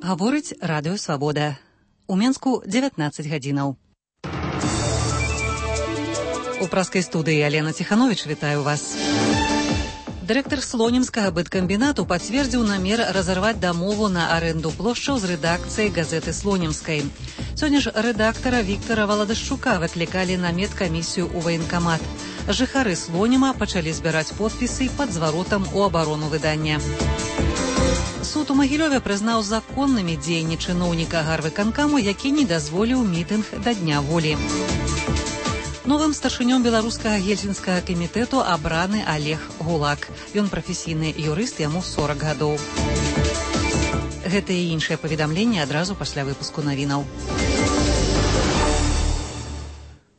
Гаворыць Радыё Свабода. У Менску 19 гадзінаў. У праскай студыі Алена Ціхановіч вітаю вас. Дырэктар слонімскага быткамбінату пацвердзіў намер разарваць дамову на арэнду плошчаў з рэдакцыяй газеты слонімскай. Сёння ж рэдактара Віктара Валадашчука выклікалі на медкамісію ў ваенкамат. Жыхары Слоніма пачалі збіраць подпісы пад зваротам у абарону выдання. Суд у Магілёве прызнаў законнымі дзеянні чыноўніка гарвыканкаму, які не дазволіў мітынг да Дня волі. Новым старшынём беларускага гельсінскага камітэту абраны Олег Гулак. Ён прафесійны юрыст, яму 40 гадоў. Гэта і іншыя паведамленні адразу пасля выпуску навінаў.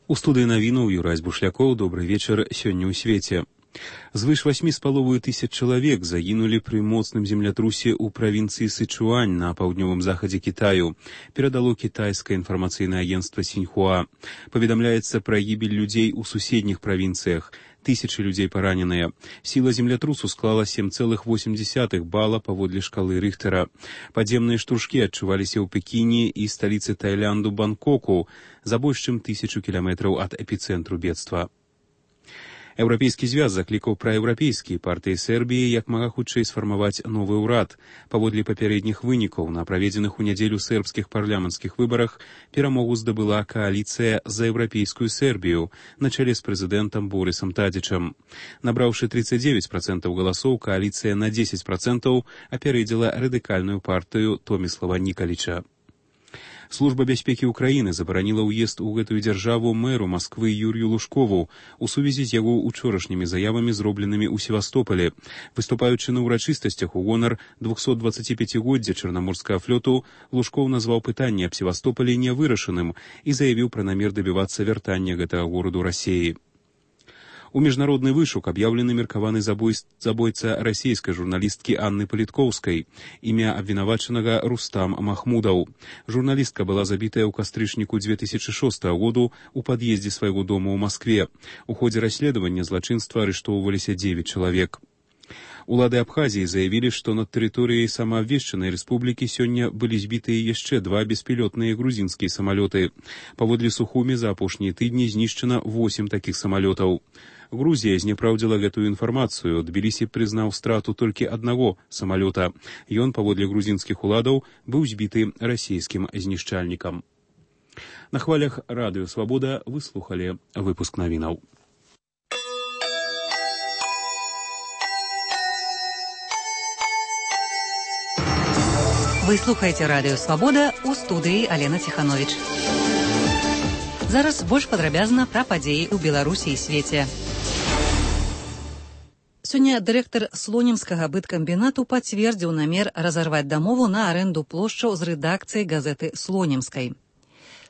У студыі навінаў Юрась Бушлякоў. Добрый вечар. Сёння ў свеце. Звыш 8,5 тысяч чалавек загінулі пры моцным землятрусе ў правінцыі Сычуань на паўднёвым захадзе Кітаю, перадало кітайскае інфармацыйнае агенцтва Сіньхуа. Паведамляецца пра гібель людзей у суседніх правінцыях. Тысячы людзей параненыя. Сіла землятрусу склала 7,8 бала паводле шкалы Рыхтера. Падземныя штуршкі адчуваліся ў Пекіне і сталіцы Таіланду Бангкоку, за больш чым 1000 кіламетраў ад эпіцэнтру бедства. Еўрапейскі звяз заклікаў праеўрапейскія партыі Сербіі як мага хутчэй сфармаваць новы ўрад. Паводле папярэдніх вынікаў на праведзеных у нядзелю сербскіх парламенцкіх выбарах перамогу здабыла кааліцыя за еўрапейскую Сербію на чале з прэзідэнтам Борысам Тадзічам. Набраўшы 39% галасоў, кааліцыя на 10% апярэдзіла радыкальную партыю Томіслава Нікаліча. Служба бяспекі ўкраіны забараніла ўезд у гэтую дзяржаву мэру Масквы Юрію Лужкову у сувязі з яго учорашнімі заявамі, зробленымі ў Севастополі. Выступаючы на ўрачыстасцях у гонар 225-годдзя Чарнаморскага флоту, Лужкоў назваў пытанне аб Севастополі нявырашаным і заявіў пра намер дабівацца вяртання гэтага гораду Расіі. У міжнародны вышук аб'яўлены меркаваны забойца расійскай журналісткі Анны Паліткоўскай. Імя абвінавачанага Рустам Махмудаў. Журналістка была забітая ў кастрычніку 2006 году у пад'ездзе свайго дома ў Маскве. У ходзе расследавання злачынства арыштоўваліся 9 чалавек. Улады Абхазіі заявілі, што над тэрыторыяй самаабвешчанай рэспублікі сёння былі збітыя яшчэ 2 беспілётныя грузінскія самалёты. Паводле Сухумі за апошнія тыдні знішчана 8 такіх самалётаў. Грузія знепраўдзіла гэтую інфармацыю. Тбілісі прызнаў страту толькі аднаго самалёта. Ён, паводле грузінскіх уладаў, быў збіты расійскім знішчальнікам. На хвалях Радыё Свабода вы слухалі выпуск навінаў. Вы слухаеце Радыё Свабода, у студыі Алена Ціхановіч. Зараз больш падрабязна пра падзеі ў Беларусі і свеце. Сёння дырэктар слонімскага быткамбінату пацвердзіў намер разарваць дамову на арэнду плошчаў з рэдакцыяй газеты слонімскай.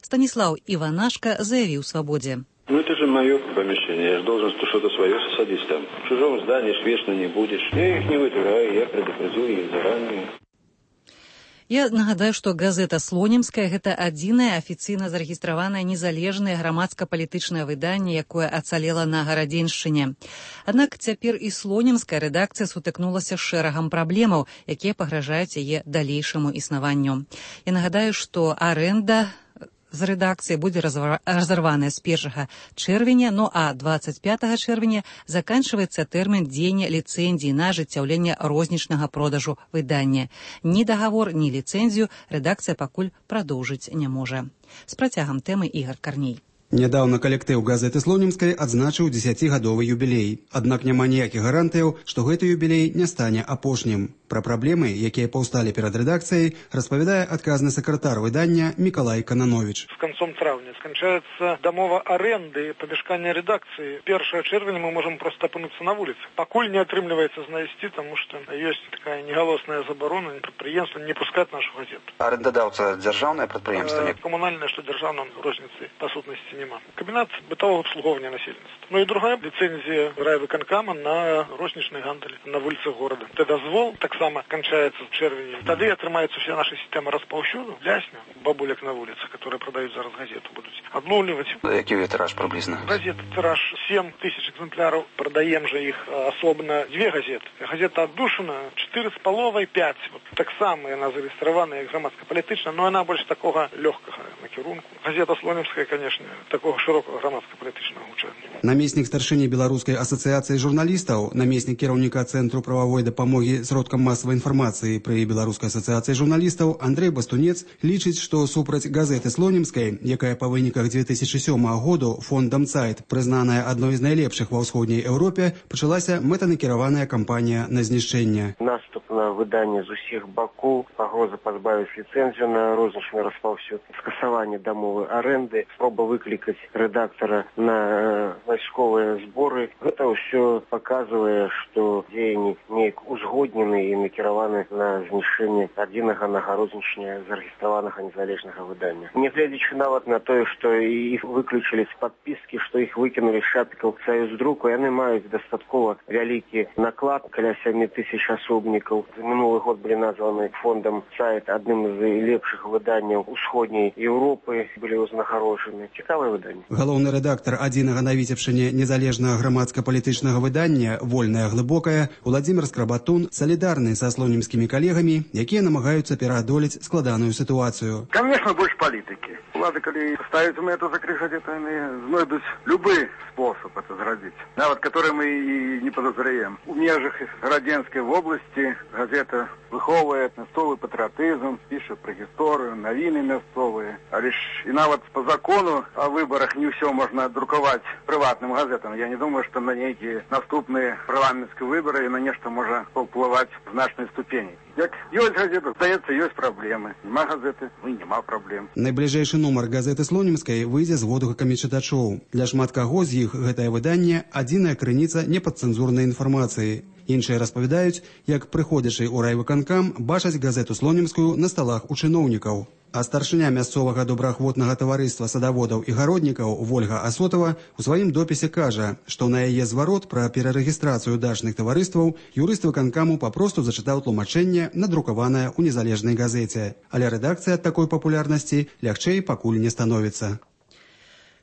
Станіслаў Іванашка заявіў Свабодзе. Это же мое помещение, я же должен что-то свое садить там. В чужом здании ж вечно не будешь. Я их не вытираю, я предупредил их заранее. Я нагадаю, што газета «Слонімская» – гэта адзінае афіцыйна зарэгістраванае незалежнае грамадска-палітычнае выданне, якое ацалела на Гарадзеншчыне. Аднак цяпер і слонімская рэдакцыя сутыкнулася з шэрагам праблемаў, якія пагражаюць яе далейшаму існаванню. Я нагадаю, што арэнда з рэдакцыі будзе разарваная з 1 чэрвеня, ну а 25 чэрвеня заканчваецца тэрмін дзеяння ліцэнзіі на ажыццяўленне рознічнага продажу выдання. Ні дагавор, ні ліцэнзію рэдакцыя пакуль прадоўжыць не можа. З працягам тэмы Ігар Карней. Нядаўна калектыў газеты «Слонімскай» адзначыў 10-гадовы юбілей. Аднак няма ніякіх гарантыяў, што гэты юбілей не стане апошнім. Пра праблемы, якія паўсталі перад рэдакцыяй, распавядае адказны сакратар выдання Мікалай Кананович. С концом травня скончается домова аренды помешкания редакции. 1 червня мы можем просто опынуться на улице. Покуль не отрымливается знайсці, потому что есть такая неголосная заборона, предприемство не пускать нашу газету. Арендодавца державное предприемство? Коммунальное, что державное, розницы по сутности нема. Комбинат бытового обслуговывания населения. Ну и другая лицензия райвыконкама на розничный гандель на улицах города. Это дозвол, так само кончается в червені. Тогда отрымаются все наши системы распаўсюду, лясня, бабулек на улицах, которые продают зараз газету, будут отловливать. Який тираж приблизно? Газета тираж 7 тысяч экземпляров. Продаем же их особенно 2 газеты. Газета «Отдушина» 4,5-5. Вот так само она зарегистрирована как громадско-політична, но она больше такого легкого накірунку. Газета «Слонімська», конечно, такого широкого громадско-політичного гучання. Намеснік старшыні Беларускай асацыяцыі журналістаў, намеснік кіраўніка Цэнтру прававой дапамогі сродкам масавай інфармацыі пры Беларускай асацыяцыі журналістаў Андрэй Бастунец лічыць, што супраць газеты «Слонімскай», якая па выніках 2007 году фондам «Цайт» прызнаная адной з найлепшых ва ўсходняй Еўропе, пачалася мэтанакіраваная кампанія на знішчэнне. Наступ на выданне з усіх бакоў, пагроза пазбавіць ліцэнзію на рознічны распаўсюд, скасаванне дамовай арэнды, спроба выклікаць рэдактара на вайсковыя зборы. Гэта ўсё паказвае, што дзеянні неяк узгоднены і накіраваны на знішчэнне адзінага нагарознічня зарэгістраванага незалежнага выдання. Нягледзячы нават на тое, што іх выключылі з падпіскі, што іх выкінулі з шапікаў Саюздруку, яны маюць дастаткова вялікі наклад, каля 7 тысяч асобнікаў. За мінулы год былі названы фондам «Цайт» адным з лепшых выданняў усходняй Еўропы, былі ўзнагароджаны. Цікавае выданне. Галоўны рэдактар адзінага на Віцебшчыне незалежнага грамадска-палітычнага выдання «Вольная глыбокая» Уладзімір Скрабатун салідарны са слонімскімі калегамі, якія намагаюцца пераадолець складаную сітуацыю. Конечно, больше политики. Влады, коли ставят это закрыжать, это они знайдут любой способ это зрадить. Нават, который мы и не подозреваем. У межах Раденской области газета выховывает мясцовый патриотизм, пишет про историю, новины мясцовые. А лишь и нават по закону о выборах не все можно друковать приватным газетам. Я не думаю, что на некие наступные парламентские выборы и на нечто можно повпливать в значной ступени. Як ёсць газета, здаецца, ёсць праблемы. Нема газеты, ну і нема праблем. Найбліжэйшы нумар газеты «Слонімскай» выйдзе з водгукамі чытачоў. Для шмат каго з іх гэтае выданне адзіная крыніца непадцэнзурнай інфармацыі. Іншыя распавядаюць, як прыходзячы ў райвыканкам бачаць газету «Слонімскую» на сталах у чыноўнікаў. А старшыня мясцовага добраахвотнага таварыства садаводаў і гароднікаў Вольга Асотава у сваім допісе кажа, што на яе зварот пра перарэгістрацыю дачных таварыстваў юрыст выканкаму папросту зачытаў тлумачэнне, надрукаванае ў незалежнай газеце. Але рэдакцыя ад такой папулярнасці лягчэй пакуль не становіцца.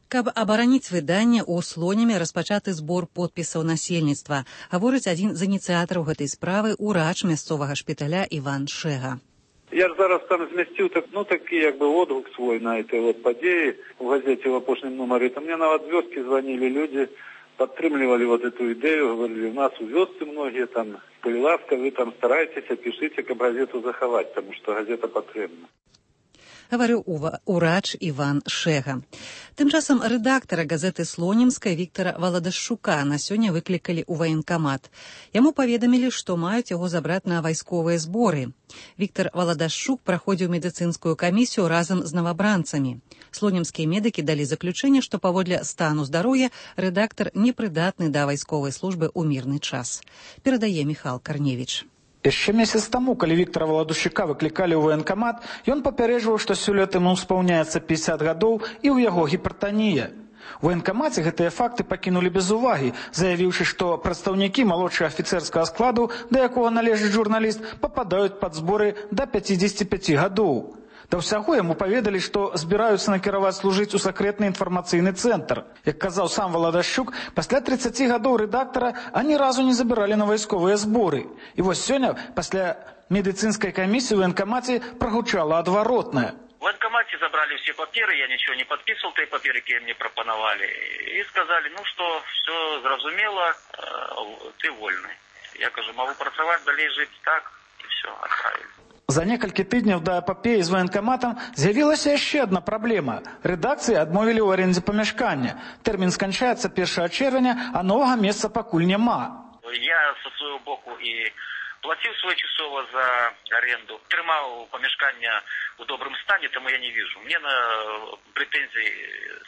Каб абараніць выданне, у Слоніме распачаты збор подпісаў насельніцтва, гаворыць адзін з ініцыятараў гэтай справы урач мясцовага шпіталя Іван Шега. Я ж зараз там змясціў такі водгук свой на этой падзеі у газеце в апошнім нумары. Там мне нават з вёскі звонили люди, падтрымлівалі эту ідэю, говорили, у нас у вёсцы многие там, калі ласка, вы там старайтеся, пішыце, каб газету захаваць, тому што газета патрэбна. Гаварыў урач Іван Шега. Тым часам рэдактара газеты «Слонімскай» Віктара Валадашчука на сёння выклікалі ў ваенкамат. Яму паведамілі, што маюць яго забраць на вайсковыя зборы. Віктар Валадашчук праходзіў медыцынскую камісію разам з навабранцамі. Слонімскія медыкі далі заключэнне, што паводле стану здароўя рэдактар непрыдатны да вайсковай службы ў мірны час. Перадае Міхал Карневіч. Яшчэ месяц таму, калі Віктара Валадашчука выклікалі ў ваенкамат, ён папярэджваў, што сёлета яму спаўняецца 50 гадоў і ў яго гіпертанія. У ваенкамаце гэтыя факты пакінулі без увагі, заявіўшы, што прадстаўнікі малодшага афіцэрскага складу, да якога належыць журналіст, пападаюць пад зборы да 55 гадоў. Да ўсяго яму паведалі, што збіраюцца накіраваць служыць у сакрэтны інфармацыйны цэнтр. Як казаў сам Валадашчук, пасля 30 гадоў рэдактара ані разу не забіралі на вайсковыя зборы. І вось сёння, пасля медыцынскай камісіі ў ваенкамаце прагучала адваротнае. В военкомате забрали все паперы, я ничего не подписывал, те паперы, которые мне пропоновали. И сказали, ну что, все зразумело, ты вольный. Я кажу, могу працаваць, далей жить так, и все, отправили. За некалькі тыдняў да эпапеі з ваенкаматам з'явілася яшчэ адна праблема. Рэдакцыі адмовілі ў арендзе памяшкання. Тэрмін сканчаецца 1 чэрвеня, а новага месца пакуль няма. Я со свайго боку і плаціў своечасова за аренду, трымаў памяшкання в добром стане, тому я не вижу. Мне на претензий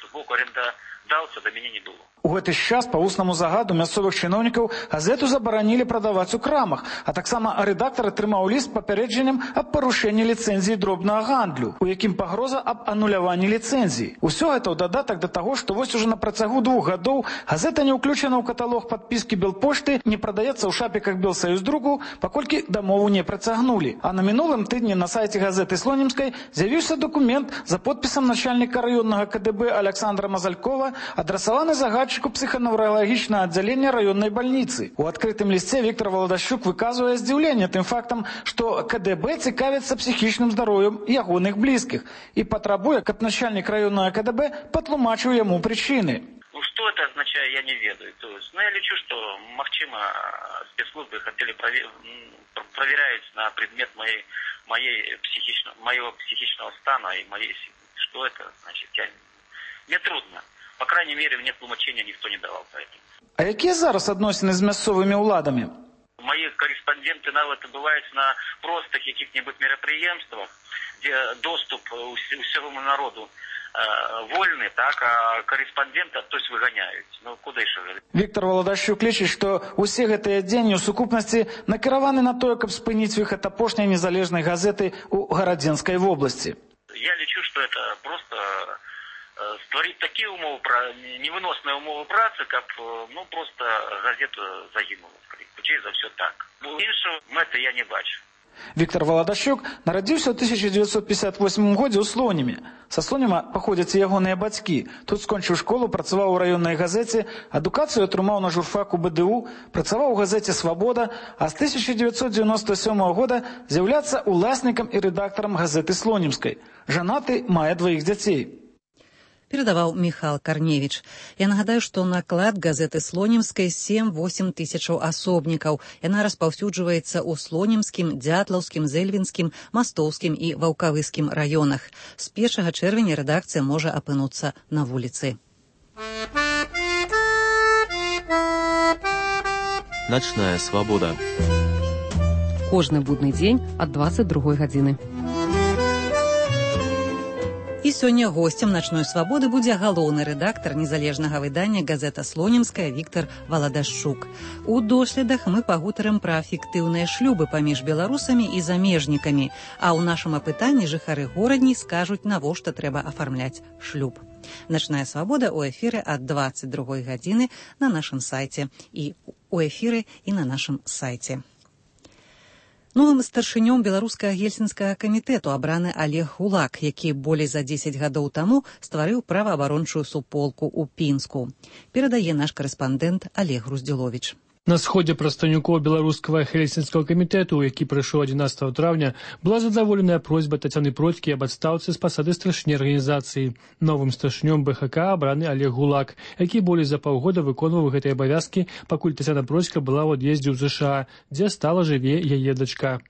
с боку арендодаўца до мяне не было. У гэты час па вуснаму загаду мясцовых чыноўнікаў газету забаранілі прадаваць у крамах, а таксама рэдактар атрымаў ліст з папярэджаннем аб парушэнні ліцэнзіі дробнага гандлю, у якім пагроза аб ануляванні ліцэнзіі. Усё гэта ў дадатак да таго, што вось ужо на працягу 2 гадоў газета не ўключана ў каталог падпіскі Белпошты, не прадаецца ў шапіках Белсаюздруку, паколькі дамову не працягнулі. А на мінулым тыдні на сайце газеты Слонімскай з'явіўся дакумент за подпісам начальніка раённага КДБ Александра Мазалькова, адрасаваны загадчыку псіханаўралагічнага аддзялення раённай бальніцы. У адкрытым лісце Віктор Валадашчук выказвае здзіўленне тым фактам, што КДБ цікавіцца псіхічным здароўем ягоных блізкіх і патрабуе, каб начальнік раённага КДБ патлумачыў яму прычыны. Ну, что это означает, я не ведаю. То есть, я лечу, что, махчима, спецслужбы хотели проверять на предмет моего психичного стана и моей... Что это значит? Мне трудно. По крайней мере, мне тлумачения никто не давал по этому. А якія зараз адносіны з мясцовымі ўладамі? Мои корреспонденты нават бывают на простых каких-нибудь мероприемствах, где доступ усему народу вольны, так, а корреспондента, то есть выганяют. Ну, куда еще? Віктор Валадашчук лічыць, што ўсе гэтыя дзеянні ў сукупнасці накіраваны на тое, каб спыніць выхад апошняй незалежнай газеты ў Гарадзенскай вобласці. Я лічу, что это просто створить такие невыносные умовы працы, как, ну, просто газета загинула. Хутчэй за все так. Іншого мэты я не бачу. Віктор Валадашчук нарадзіўся ў 1958 годзе ў Слонімі. Са Слоніма паходзяць і ягоныя бацькі. Тут скончыў школу, працаваў у раённай газеце, адукацыю атрымаў на журфаку БДУ, працаваў у газеце «Свабода», а з 1997 года з'яўляецца уласнікам і рэдактарам газеты Слонімскай. Жанаты, мае 2 дзяцей. Передаваў Міхал Карневіч. Я нагадаю, што наклад газеты Слонімскай 7-8 тысячаў асобнікаў. Яна распаўсюджваецца ў Слонімскім, Дзятлаўскім, Зэльвінскім, Мастоўскім і Ваўкавыскім раёнах. З 1 чэрвеня рэдакцыя можа апынуцца на вуліцы. Начная свабода. Кожны будны дзень ад 22 гадзіны. І сёння госцем начной свабоды будзе галоўны рэдактар незалежнага выдання газета Слонімская Віктор Валадашчук. У доследах мы пагутарым пра фіктыўныя шлюбы паміж беларусамі і замежнікамі, а ў нашым апытанні жыхары горадні скажуць, навошта трэба афармляць шлюб. Начная свабода ў эфіры ад 22 гадзіны на нашым сайце і ў эфіры і на нашым сайце. Новым старшынём беларускага гельсінскага камітэту абраны Олег Гулак, які болей за 10 гадоў таму стварыў праваабарончую суполку ў Пінску. Перадае наш карэспандэнт Олег Груздзіловіч. На сходзе прадстаўнікоў беларускага гельсінскага камітэту, які прайшоў 11 траўня, была задаволеная просьба Тацяны Процькі аб адстаўцы з пасады старшыні арганізацыі. Новым старшынём БХК абраны Олег Гулак, які болей за паўгода выконваў гэтыя абавязкі, пакуль Тацяна Процька была ў ад'ездзе ў ЗША, дзе стала жыве яе дачка.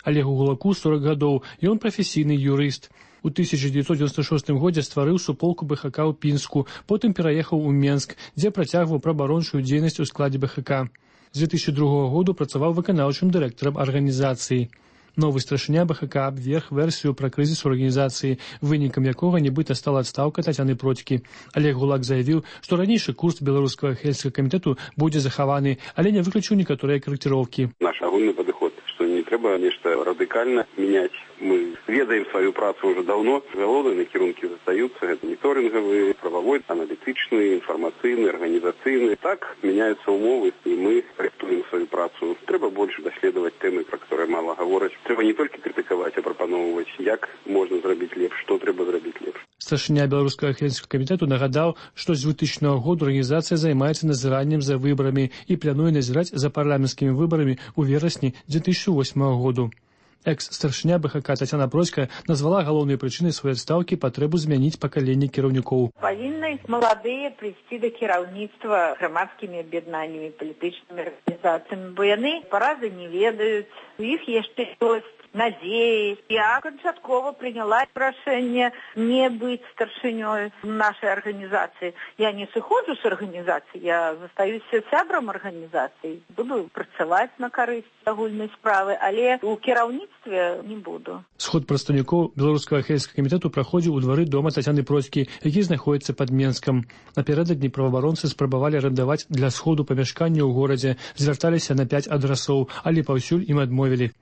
Олегу Гулаку 40 гадоў, ён прафесійны юрыст. У 1996 годзе стварыў суполку БХК ў Пінску, потым пераехаў у Менск, дзе працягваў праваабарончую дзейнасць у складзе БХК. З 2002 году працаваў выканаўчым дырэктарам арганізацыі. Новы старшыня БХК абверг версію пра крызіс у арганізацыі, вынікам якога нібыта стала адстаўка Тацяны Процькі. Олег Гулак заявіў, што ранейшы курс беларускага гельсінскага камітэту будзе захаваны, але не выключыў некаторыя карэкціроўкі. Наш агульны падыход, што не трэба нешта радыкальна мяняць. Мы ведаем сваю працу уже давно. Галоўныя накірункі застаюцца. Гэта моніторынгавы, прававой, аналітычны, інфармацыйны, арганізацыйны. Так мяняюцца умовы, і мы рыхтуем сваю працу. Трэба больш даследаваць тэмы, пра которые мала гавораць. Трэба не толькі крытыкаваць, а прапаноўваць, як можна зрабіць лепш, што трэба зрабіць лепш. Старшыня беларускага гельсінскага камітэту нагадаў, што з 2000 года арганізацыя займаецца назіраннем за выбарамі і плануе назіраць за парламенцкімі выбарамі ў верасні 2008 году. Экс-старшыня БХК Тацяна Процька назвала галоўнай прычынай сваёй адстаўкі патрэбу змяніць пакаленне кіраўнікоў. Павінны маладыя прыйсці да кіраўніцтва грамадскімі аб'яднаннямі, палітычнымі арганізацыямі, бо яны паразы не ведаюць, у іх яшчэ ёсць надеи. Я канчаткова приняла решение не быть старшиней нашей организации. Я не сыходжу с организации, я застаюсь сябрам организации. Буду працаваць на карысць агульнай справы, але у кіраўніцтве не буду. Сход прадстаўнікоў беларускага хельскага камітэту праходзіў у двары дома Тацяны Процькі, які знаходзіцца пад Менскам. Напярэдадні праваабаронцы спрабавалі арендаваць для сходу памяшканне ў горадзе, звярталіся на 5 адрасоў, але паўсюль ім адмовілі.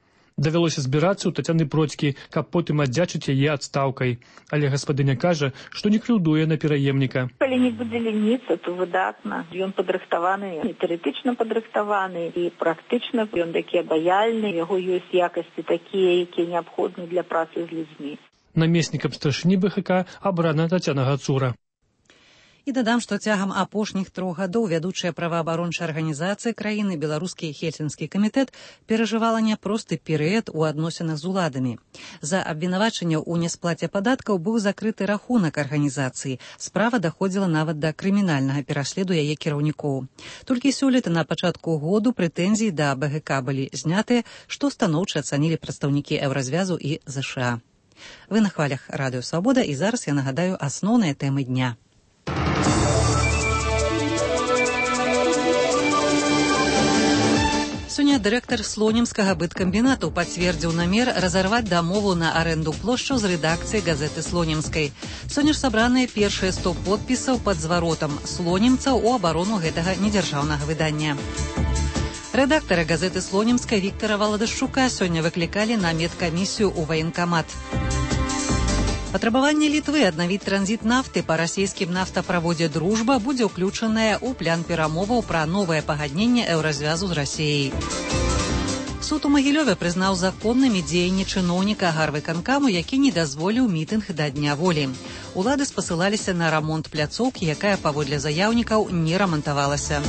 Давялося збірацца ў Тацяны Процькі, каб потым аддзячыць яе адстаўкай. Але гаспадыня кажа, што не крыўдуе на пераемніка. Калі не будзе леніцца, то выдатна. Ён падрыхтаваны, і тэарэтычна падрыхтаваны, і практычна ён такі абаяльны, яго ёсць якасці такія, якія неабходны для працы з людзьмі. Намеснікам старшыні БХК абрана Тацяна Гацура. І дадам, што цягам апошніх 3 гадоў вядучая праваабарончая арганізацыя краіны беларускі хельсінскі камітэт перажывала няпросты перыяд у адносінах з уладамі. За абвінавачанняў у несплаце падаткаў быў закрыты рахунак арганізацыі. Справа даходзіла нават да крымінальнага пераследу яе кіраўнікоў. Толькі сёлета на пачатку году прэтэнзіі да БГК былі знятыя, што станоўча ацанілі прадстаўнікі Еўразвязу і ЗША. Вы на хвалях Радыё Свабода, і зараз я нагадаю асноўныя тэмы дня. Сёння дырэктар слонімскага быткамбінату пацвердзіў намер разарваць дамову на арэнду плошчаў з рэдакцыяй газеты Слонімскай. Сёння ж сабраныя першыя 100 подпісаў пад зваротам слонімцаў у абарону гэтага недзяржаўнага выдання. Рэдактара газеты Слонімскай Віктара Валадашчука сёння выклікалі на медкамісію ў ваенкамат. Патрабаванне Літвы аднавіць транзіт нафты па расійскім нафтаправодзе «Дружба» будзе ўключанае ў план перамоваў пра новае пагадненне Еўразвязу з Расіяй. Суд у Магілёве прызнаў законнымі дзеянні чыноўніка гарвыканкаму, які не дазволіў мітынг да Дня волі. Улады спасылаліся на рамонт пляцоўкі, якая, паводле заяўнікаў, не рамантавалася.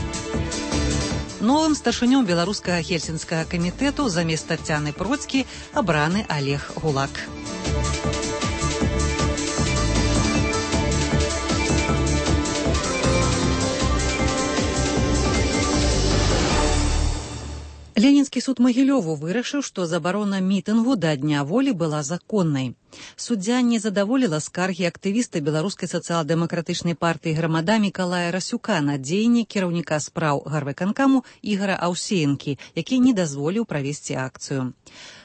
Новым старшынём беларускага хельсінскага камітэту замест Тацяны Процькі абраны Олег Гулак. Ленінскі суд Магілёву вырашыў, што забарона мітынгу да Дня волі была законнай. Суддзя не задаволіла скаргі актывіста беларускай сацыял-дэмакратычнай партыі «Грамада» Мікалая Расюка на дзеянні кіраўніка спраў гарвыканкаму Ігара Аўсеенкі, які не дазволіў правесці акцыю.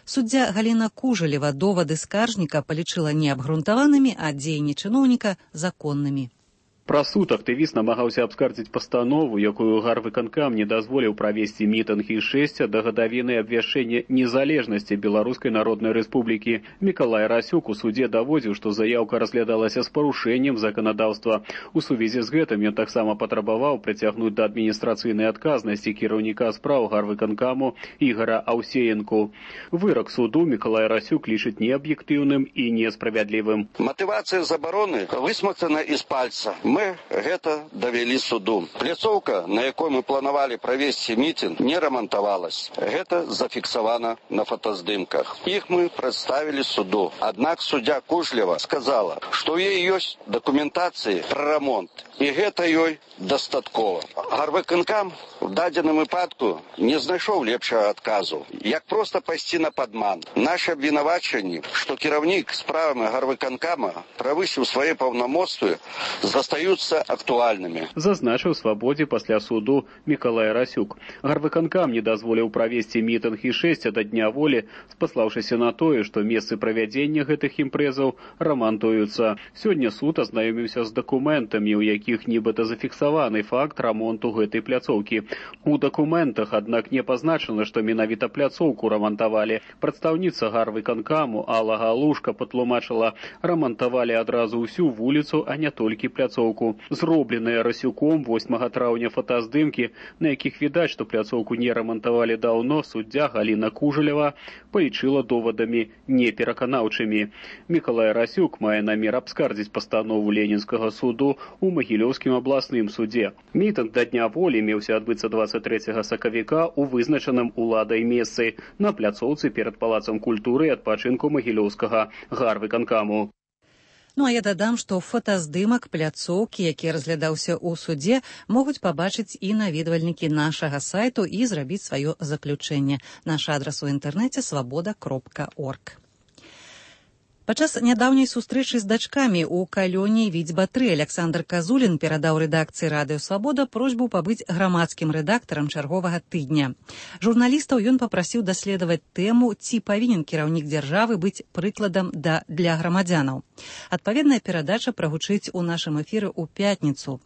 Суддзя Галіна Кужалева довады скаржніка палічыла неабгрунтаванымі, а дзеянні чыноўніка законнымі. Пра суд актывіст намагаўся абскардзіць пастанову, якую гарвыканкам не дазволіў правесці мітынг і шэсця да гадавіны абвяшчэння незалежнасці Беларускай Народнай Рэспублікі. Мікалай Расюк у судзе даводзіў, што заяўка разглядалася з парушэннем заканадаўства. У сувязі з гэтым ён таксама патрабаваў прыцягнуць да адміністрацыйнай адказнасці кіраўніка спраў гарвыканкаму Ігара Аўсеенку. Вырак суду Мікалай Расюк лічыць неаб'ектыўным і несправядлівым. Матывацыя забароны высмактана з пальца. Мы гэта давялі суду. Пляцоўка, на якой мы планавалі правесці мітынг, не рамантавалась. Гэта зафіксавана на фотаздымках. Іх мы прадставілі суду. Аднак суддзя Кужлева сказала, што ў ёй ёсць дакументацыі пра рамонт. І гэта ёй дастаткова. Гарвыканкам в дадзеным выпадку не знайшоў лепшага адказу. Як проста пайсці на падман. Нашы абвінавачанні, што кіраўнік справамі гарвыканкама правысіў свае паўнамоцтвы, застаюцца актуальнымі. Зазначыў свабодзе пасля суду Мікалай Расюк. Гарвыканкам не дазволіў правесці мітынг і шэсця да Дня волі, спаслаўшыся на тое, што месцы правядзення гэтых імпрэзаў рамантуюцца. Сёння суд азнаёміўся з дакументамі, у якіх нібыта зафіксаваны факт рамонту гэтай пляцоўкі. У дакументах, аднак, не пазначана, што менавіта пляцоўку рамантавалі. Прадстаўніца гарвыканкаму Алла Галушка патлумачыла, рамантавалі адразу ўсю вуліцу, а не толькі пляцоўку. Зробленыя Расюком 8 траўня фотаздымкі, на якіх відаць, што пляцоўку не рамантавалі даўно, суддзя Галіна Кужалева палічыла довадамі непераканаўчымі. Мікалай Расюк мае намер абскардзіць пастанову Ленінскага суду у Магілёўскім абласным судзе. Мітынг да Дня волі меўся адбыцца 23 сакавіка у вызначаным уладай месцы на пляцоўцы перад палацам культуры і адпачынку Магілёўскага гарвыканкаму. Ну а я дадам, што фотаздымак пляцоўкі, які разглядаўся ў судзе, могуць пабачыць і наведвальнікі нашага сайту і зрабіць сваё заключэнне. Наш адрас у інтэрнэце свабода.орг. Падчас нядаўняй сустрэчы з дачкамі ў калоніі Відзьба-3 Александр Казулін перадаў рэдакцыі «Радыё Свабода» просьбу пабыць грамадскім рэдактарам чарговага тыдня. Журналістаў ён папрасіў даследаваць тэму, ці павінен кіраўнік дзяржавы быць прыкладам для грамадзянаў. Адпаведная перадача прагучыць у нашым эфіры ў пятніцу.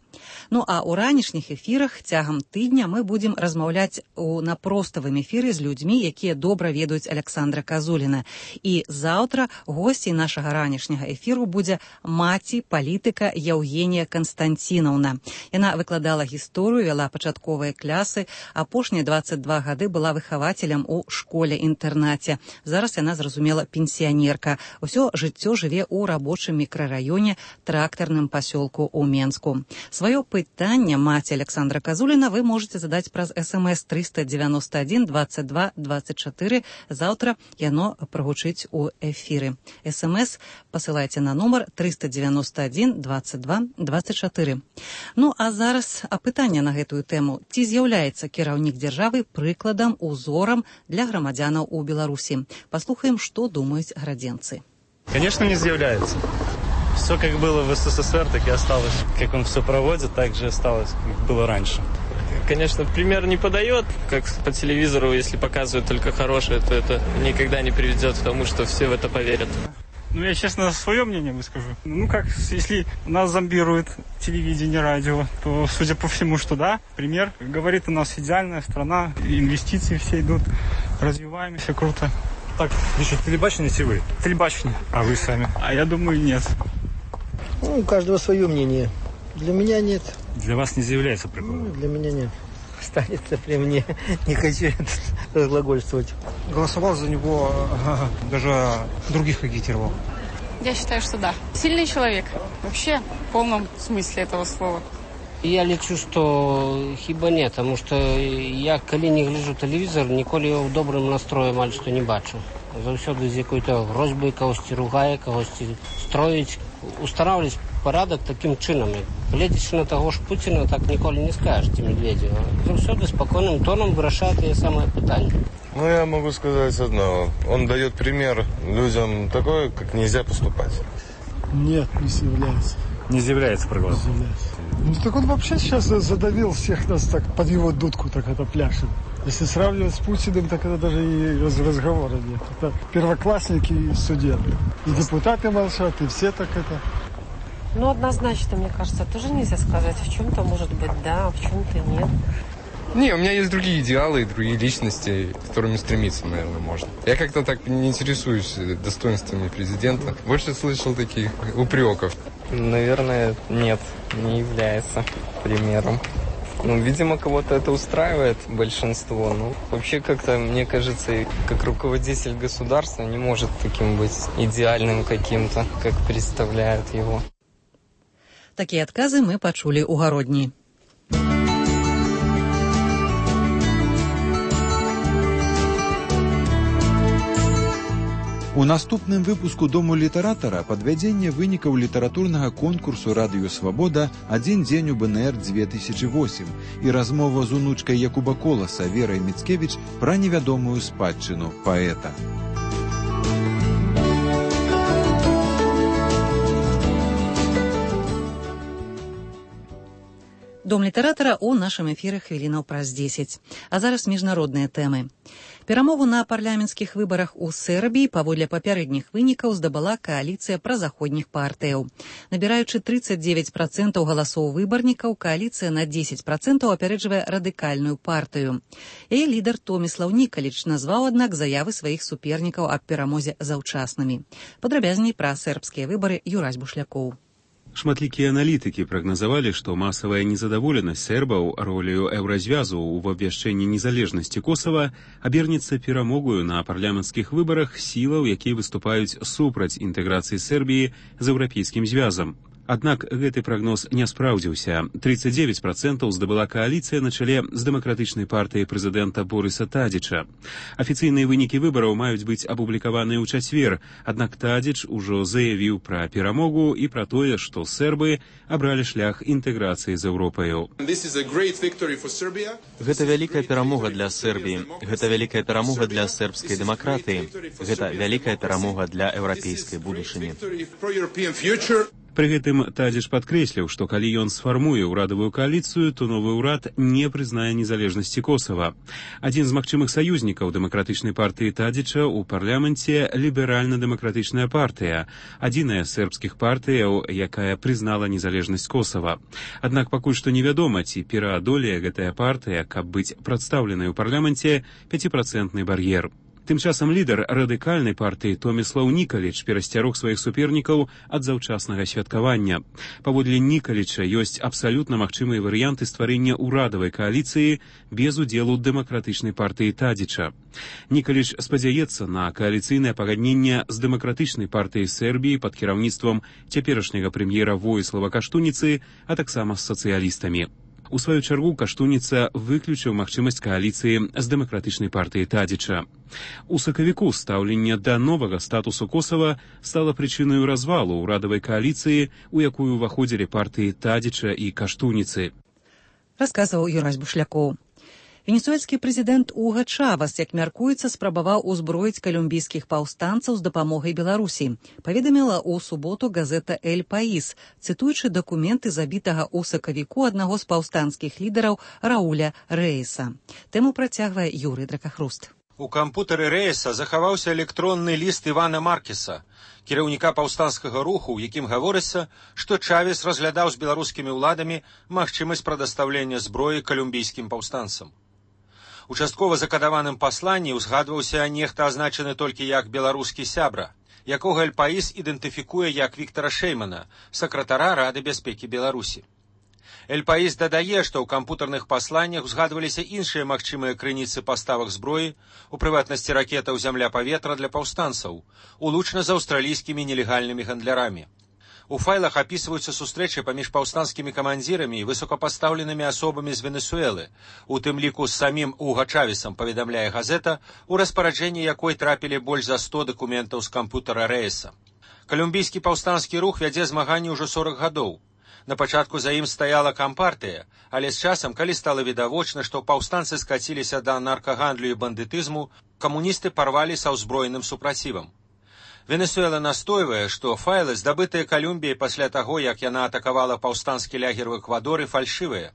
Ну а ў ранішніх эфірах цягам тыдня мы будзем размаўляць на проставым эфіры з людзьмі, якія добра ведаюць Александра Казуліна. І заўтра госцей нашага ранішняга эфіру будзе маці палітыка Яўгенія Канстанцінаўна. Яна выкладала гісторыю, вяла пачатковыя клясы, апошнія 22 гады была выхавацелем у школе-інтэрнаце. Зараз яна, зразумела, пенсіянерка. Усё жыццё жыве ў рабочым мікрараёне, трактарным пасёлку ў Менску. Сваё пытанне маці Александра Казуліна вы можете задаць праз СМС 391 22 24. Заўтра яно прагучыць у эфіры. СМС пасылайце на нумар 391 22 24. Ну а зараз апытанне на гэтую тэму. Ці з'яўляецца кіраўнік дзяржавы прыкладам, узорам для грамадзянаў у Беларусі? Паслухаем, што думаюць градзенцы. Конечно, не з'яўляецца. Все как было в СССР, так и осталось. Как он все проводит, так же осталось, как было раньше. Конечно, пример не подает, как по телевизору, если показывают только хорошее, то это никогда не приведет к тому, что все в это поверят. Ну, я честно свое мнение выскажу. Ну, как, если нас зомбирует телевидение, радио, то, судя по всему, что да, пример. Говорит, у нас идеальная страна, инвестиции все идут, развиваемся круто. Так, значит, телебачите вы? Телебачение. А вы сами? А я думаю, нет. Ну, у каждого свое мнение. Для меня нет. Для вас не заявляется прикол? Для меня нет. Останется при мне. Не хочу разглагольствовать. Голосовал за него, даже других агитировал. Я считаю, что да. Сильный человек. Вообще, в полном смысле этого слова. Я лічу, што хіба не, таму што я, калі не гляджу тэлевізор, ніколі ў добрым настроі амаль што не бачу. Заўсёды з якой-то грозьбай кагосьці ругае, кагосьці строіць, устараўляць парадак такім чынам. Гледзячы на таго ж Пуціна, так ніколі не скажеш ці Медведзева. Заўсёды спакойным тоном вырашае тыя самыя пытанні. Ну, я могу сказать одно. Он дает пример людям такое, как нельзя поступать. Нет, не заявляется. Не заявляется проголос. Ну, так он вообще сейчас задавил всех нас так под его дудку, так это пляшет. Если сравнивать с Путиным, так это даже и разговора нет. Это первоклассники и студенты. И депутаты молчат, и все так это. Ну, однозначно, мне кажется, тоже нельзя сказать. В чем-то может быть да, а в чем-то нет. Не, у меня есть другие идеалы и другие личности, к которым стремиться, наверное, можно. Я как-то так не интересуюсь достоинствами президента. Больше слышал таких упреков. Наверное, нет, не является примером. Ну, видимо, кого-то это устраивает, большинство. Ну, вообще, как-то, мне кажется, как руководитель государства не может таким быть идеальным каким-то, как представляют его. Такие отказы мы почули у Гародни. У наступным выпуску Дому літаратара падвядзенне вынікаў літаратурнага конкурсу «Радыё Свабода» «Адзін дзень у БНР 2008» і размова з унучкай Якуба Коласа Верай Міцкевіч пра невядомую спадчыну паэта. Дом літаратара ў нашым эфіры хвілінаў праз 10. А зараз міжнародныя тэмы. Перамогу на парламенцкіх выбарах у Сербіі паводле папярэдніх вынікаў здабыла кааліцыя празаходніх партыяў. Набіраючы 39% галасоў выбарнікаў, кааліцыя на 10% апярэджвае радыкальную партыю. Яе лідар Томіслаў Нікаліч назваў, аднак, заявы сваіх супернікаў аб перамозе заўчаснымі. Падрабязней пра сербскія выбары Юрась Бушлякоў. Шматлікія аналітыкі прагназавалі, што масавая незадаволенасць сербаў роляю еўразвязу ў абвяшчэнні незалежнасці Косава абернецца перамогою на парламенцкіх выбарах сілаў, якія выступаюць супраць інтэграцыі Сербіі з еўрапейскім звязам. Аднак гэты прагноз не спраўдзіўся. 39% здабыла кааліцыя на чале з дэмакратычнай партыяй прэзідэнта Борыса Тадзіча. Афіцыйныя вынікі выбараў маюць быць апублікаваныя ў чацвер, аднак Тадзіч ужо заявіў пра перамогу і пра тое, што сербы абралі шлях інтэграцыі з Еўропаю. Гэта вялікая перамога для Сербіі. Гэта вялікая перамога для сербскай дэмакратыі. Гэта вялікая перамога для еўрапейскай будучыні. Пры гэтым Тадзіч падкрэсліў, што калі ён сфармуе ўрадавую кааліцыю, то новы ўрад не прызнае незалежнасці Косава. Адзін з магчымых саюзнікаў дэмакратычнай партыі Тадзіча ў парламенце ліберальна-дэмакратычная партыя, адзіная з сербскіх партыяў, якая прызнала незалежнасць Косава. Аднак пакуль што невядома, ці пераадолее гэтая партыя, каб быць прадстаўленай у парламенце 5% бар'ер. Тым часам лідар радыкальнай партыі Томіслаў Нікаліч перасцярог сваіх супернікаў ад заўчаснага святкавання. Паводле Нікаліча ёсць абсалютна магчымыя варыянты стварэння ўрадавай кааліцыі без удзелу дэмакратычнай партыі Тадзіча. Нікаліч спадзяецца на кааліцыйнае пагадненне з дэмакратычнай партыяй Сербіі пад кіраўніцтвам цяперашняга прэм'ера Воіслава Каштуніцы, а таксама з сацыялістамі. У сваю чаргу Каштуніца выключыў магчымасць кааліцыі з дэмакратычнай партыяй Тадзіча. У сакавіку стаўленне да новага статусу Косава стала прычынаю развалу ўрадавай кааліцыі, у якую ўваходзілі партыі Тадзіча і Каштуніцы. Расказваў Юрась Бушлякоў. Венесуэльскі прэзідэнт Уга Чавас, як мяркуецца, спрабаваў узброіць калумбійскіх паўстанцаў з дапамогай Беларусі, паведаміла ў суботу газета «Эль Паís», цытуючы дакументы забітага ў сакавіку аднаго з паўстанцкіх лідараў Рауля Рэйса. Тэму працягвае Юрый Дракахруст. У кампутары Рэйса захаваўся электронны ліст Івана Маркеса, кіраўніка паўстанцкага руху, у якім гаворыцца, што Чавес разглядаў з беларускімі ўладамі магчымасць прадастаўлення зброі калумбійскім паўстанцам. У часткова закадаваным пасланні ўзгадваўся нехта азначаны толькі як беларускі сябра, якога «Эль Паís» ідэнтыфікуе як Віктара Шэймана, сакратара Рады бяспекі Беларусі. «Эль Паís» дадае, што ў кампутарных пасланнях узгадваліся іншыя магчымыя крыніцы паставак зброі, у прыватнасці ракетаў зямля-паветра для паўстанцаў, улучна з аўстралійскімі нелегальнымі гандлярамі. У файлах апісваюцца сустрэчы паміж паўстанцкімі камандзірамі і высокапастаўленымі асобамі з Венесуэлы, у тым ліку з самім Уга Чавесам, паведамляе газета, у распараджэнні якой трапілі больш за 100 дакументаў з кампутара Рэйса. Калумбійскі паўстанцкі рух вядзе змаганні ўжо 40 гадоў. На пачатку за ім стаяла кампартыя, але з часам, калі стала відавочна, што паўстанцы скаціліся да наркагандлю і бандытызму, камуністы парвалі са ўзброеным супрацівам. Венесуэла настойвае, што файлы, здабытыя Калумбіяй пасля таго, як яна атакавала паўстанскі лягер у Эквадоры, фальшывыя.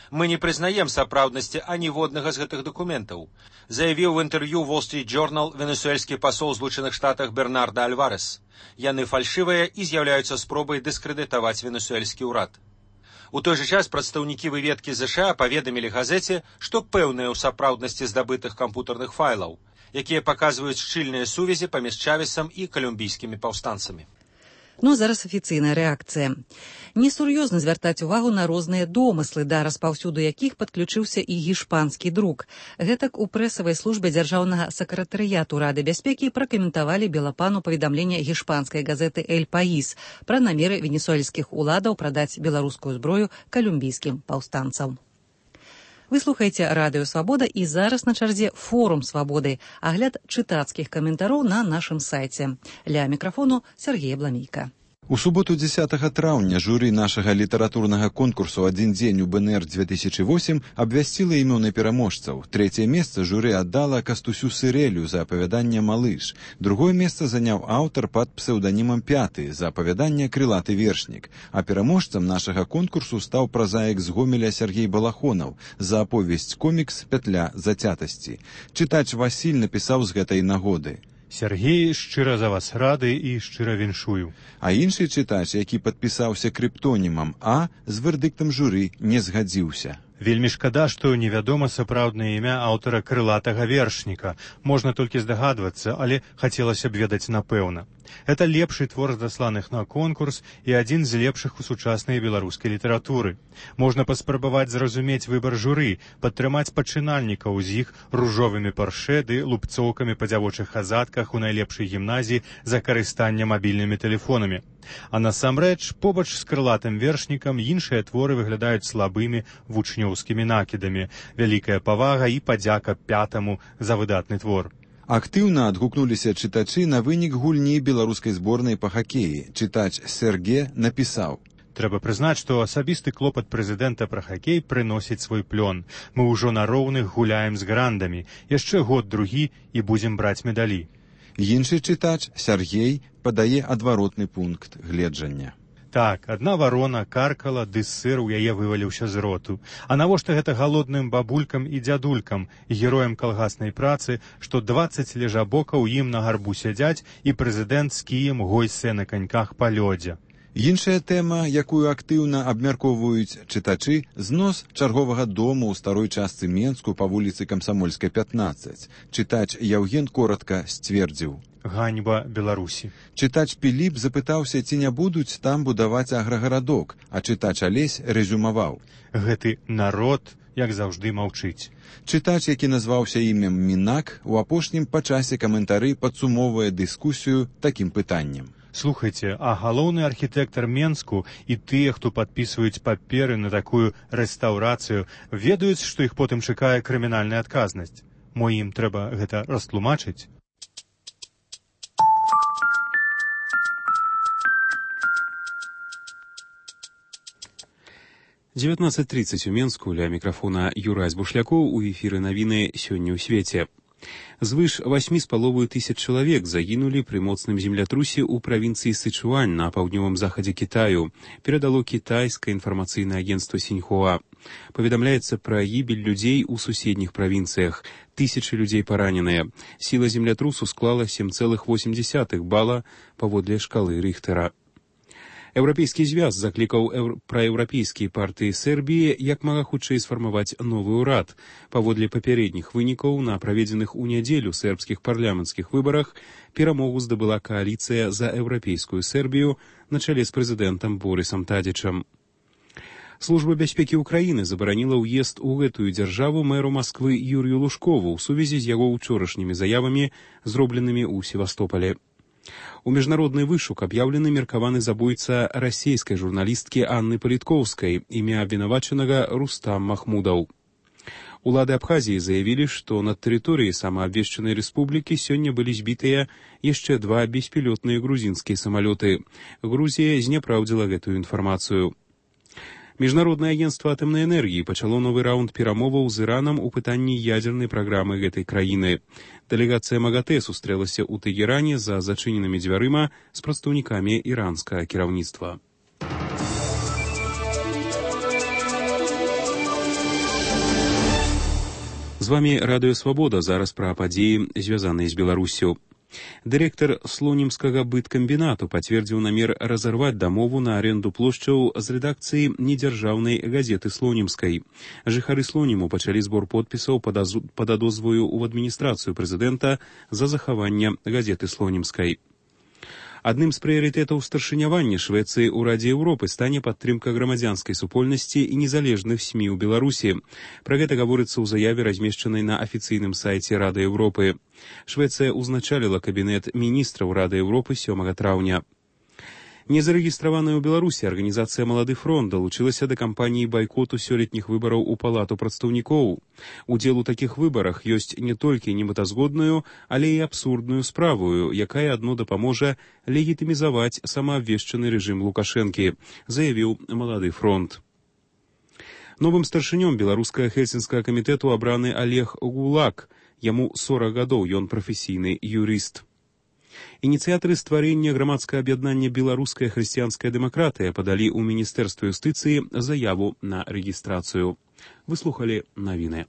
Мы не прызнаем сапраўднасці аніводнага з гэтых дакументаў, заявіў в інтэрв'ю Wall Street Journal венесуэльскі пасол Злучаных Штатах Бернарда Альварес. Яны фальшывыя і з'яўляюцца спробай дыскрэдытаваць венесуэльскі ўрад. У той жа час прадстаўнікі выведкі ЗША паведамілі газеце, што пэўныя ў сапраўднасці здабытых кампутарных файлаў, якія паказваюць шчыльныя сувязі паміж Чавесам і калумбійскімі паўстанцамі. Ну, зараз афіцыйная рэакцыя. Несур'ёзна звяртаць увагу на розныя домыслы, да распаўсюду якіх падключыўся і гішпанскі друк. Гэтак у прэсавай службе дзяржаўнага сакратарыяту Рады бяспекі пракаментавалі Белапану паведамленне гішпанскай газеты «Эль Паís» пра намеры венесуэльскіх уладаў прадаць беларускую зброю калумбійскім паўстанцам. Вы слухаеце Радыё Свабода, і зараз на чарзе форум Свабоды, агляд чытацкіх каментароў на нашым сайце. Ля мікрафону Сергей Бламейка. У суботу 10 траўня журы нашага літаратурнага конкурсу «Адзін дзень у БНР-2008» абвясціла імёны пераможцаў. Трэцяе месца журы аддала Кастусю Сырэлю за апавяданне «Малыш». Другое месца заняў аўтар пад псеўданімам «Пяты» за апавяданне «Крылаты вершнік». А пераможцам нашага конкурсу стаў празаік з Гомеля Сергей Балахонаў за аповесць-комікс «Пятля зацятасці». Чытач Васіль напісаў з гэтай нагоды: Сергей, шчыра за вас рады і шчыра віншую. А іншы чытач, які падпісаўся крыптонімам А, з вердыктам журы не згадзіўся. Вельмі шкада, што невядома сапраўднае імя аўтара крылатага вершніка. Можна толькі здагадвацца, але хацелася б ведаць напэўна. Это лепшы твор з дасланых на конкурс і адзін з лепшых у сучаснай беларускай літаратуры. Можна паспрабаваць зразумець выбар журы, падтрымаць пачынальнікаў з іх ружовымі парше ды лупцоўкамі па дзявочых хазатках у найлепшай гімназіі за карыстанне мабільнымі тэлефонамі. А насамрэч, побач з крылатым вершнікам іншыя творы выглядаюць слабымі вучнёўскімі накідамі. Вялікая павага і падзяка пятаму за выдатны твор. Актыўна адгукнуліся чытачы на вынік гульні беларускай зборнай па хакеі. Чытач Сэрге напісаў: Трэба прызнаць, што асабісты клопат прэзідэнта пра хакей прыносіць свой плён. Мы ўжо на роўных гуляем з грандамі. Яшчэ год-другі і будзем браць медалі. Іншы чытач, Сяргей, падае адваротны пункт гледжання. Так, адна варона каркала, ды сыр у яе вываліўся з роту. А навошта гэта галодным бабулькам і дзядулькам, героям калгаснай працы, што 20 лежабокаў ім на гарбу сядзяць і прэзідэнт з кіем гойсе на каньках па лёдзе. Іншая тэма, якую актыўна абмяркоўваюць чытачы, знос чарговага дому ў старой частцы Менску па вуліцы Камсамольскай, 15. Чытач Яўген коратка сцвердзіў: ганьба Беларусі. Чытач Піліп запытаўся, ці не будуць там будаваць аграгарадок, а чытач Алесь рэзюмаваў: гэты народ, як заўжды, маўчыць. Чытач, які назваўся імем Мінак, у апошнім па часе каментары падсумоўвае дыскусію такім пытаннем: Слухайце, а галоўны архітэктар Менску і тыя, хто падпісваюць паперы на такую рэстаўрацыю, ведаюць, што іх потым чакае крымінальная адказнасць. Мо ім трэба гэта растлумачыць? — 19:30 у Менску. Ля мікрафона Юрась Бушлякоў. У эфіры навіны «Сёння ў свеце». Звыш 8,5 тысяч чалавек загінулі пры моцным землятрусе ў правінцыі Сычуань на паўднёвым захадзе Кітаю, перадало кітайскае інфармацыйнае агенцтва Сіньхуа. Паведамляецца пра гібель людзей у суседніх правінцыях. Тысячы людзей параненыя. Сіла землятрусу склала 7,8 бала паводле шкалы Рыхтэра. Еўрапейскі звяз заклікаў праеўрапейскія партыі Сербіі як мага хутчэй сфармаваць новы ўрад. Паводле папярэдніх вынікаў на праведзеных у нядзелю сербскіх парламенцкіх выбарах перамогу здабыла кааліцыя за еўрапейскую Сербію на чале з прэзідэнтам Борысам Тадзічам. Служба бяспекі ўкраіны забараніла ўезд у гэтую дзяржаву мэру Масквы Юрію Лужкову ў сувязі з яго ўчорашнімі заявамі, зробленымі ў Севастополе. У міжнародны вышук аб'яўлены меркаваны забойца расейскай журналісткі Анны Паліткоўскай, імя абвінавачанага Рустам Махмудаў. Улады Абхазіі заявілі, што над тэрыторыяй самаабвешчанай рэспублікі сёння былі збітыя яшчэ 2 беспілётныя грузінскія самалёты. Грузія зняпраўдзіла гэтую інфармацыю. Міжнароднае агенцтва атамнай энергіі пачало новы раунд перамоваў з Іранам у пытанні ядзернай праграмы гэтай краіны. Дэлегацыя МАГАТЭ сустрэлася ў Тэгеране за зачыненымі дзвярыма з прадстаўнікамі іранскага кіраўніцтва. З вамі Радыё Свабода. Зараз пра падзеі, звязаныя з Беларусю. Дырэктар слонімскага быткамбінату пацвердзіў намер разарваць дамову на аренду плошчаў з рэдакцыі недзяржаўнай газеты Слонімскай. Жыхары Слоніму пачалі збор подпісаў пад адозваю ў адміністрацыю прэзідэнта за захаванне газеты Слонімскай. Адным з прыярытэтаў старшынявання Швецыі ў Радзе Еўропы стане падтрымка грамадзянскай супольнасці і незалежных СМІ ў Беларусі. Пра гэта гаворыцца ў заяве, размешчанай на афіцыйным сайце Рады Еўропы. Швецыя ўзначаліла кабінет міністраў Рады Еўропы 7 траўня. Незарэгістраваная ў Беларусі арганізацыя «Малады фронт» далучылася да кампаніі байкоту сёлетніх выбараў у Палату прадстаўнікоў. Удзел у такіх выбарах ёсць не толькі немэтазгодную, але і абсурдную справу, якая адно дапаможа легітымізаваць самаабвешчаны рэжым Лукашэнкі, заявіў «Малады фронт». Новым старшынём беларускага хельсінскага камітэту абраны Олег Гулак. Яму 40 гадоў, ён прафесійны юрыст. Ініцыятары стварэння грамадскага аб'яднання «Беларуская хрысціянская дэмакратыя» падалі ў Міністэрства юстыцыі заяву на рэгістрацыю. Выслухалі навіны.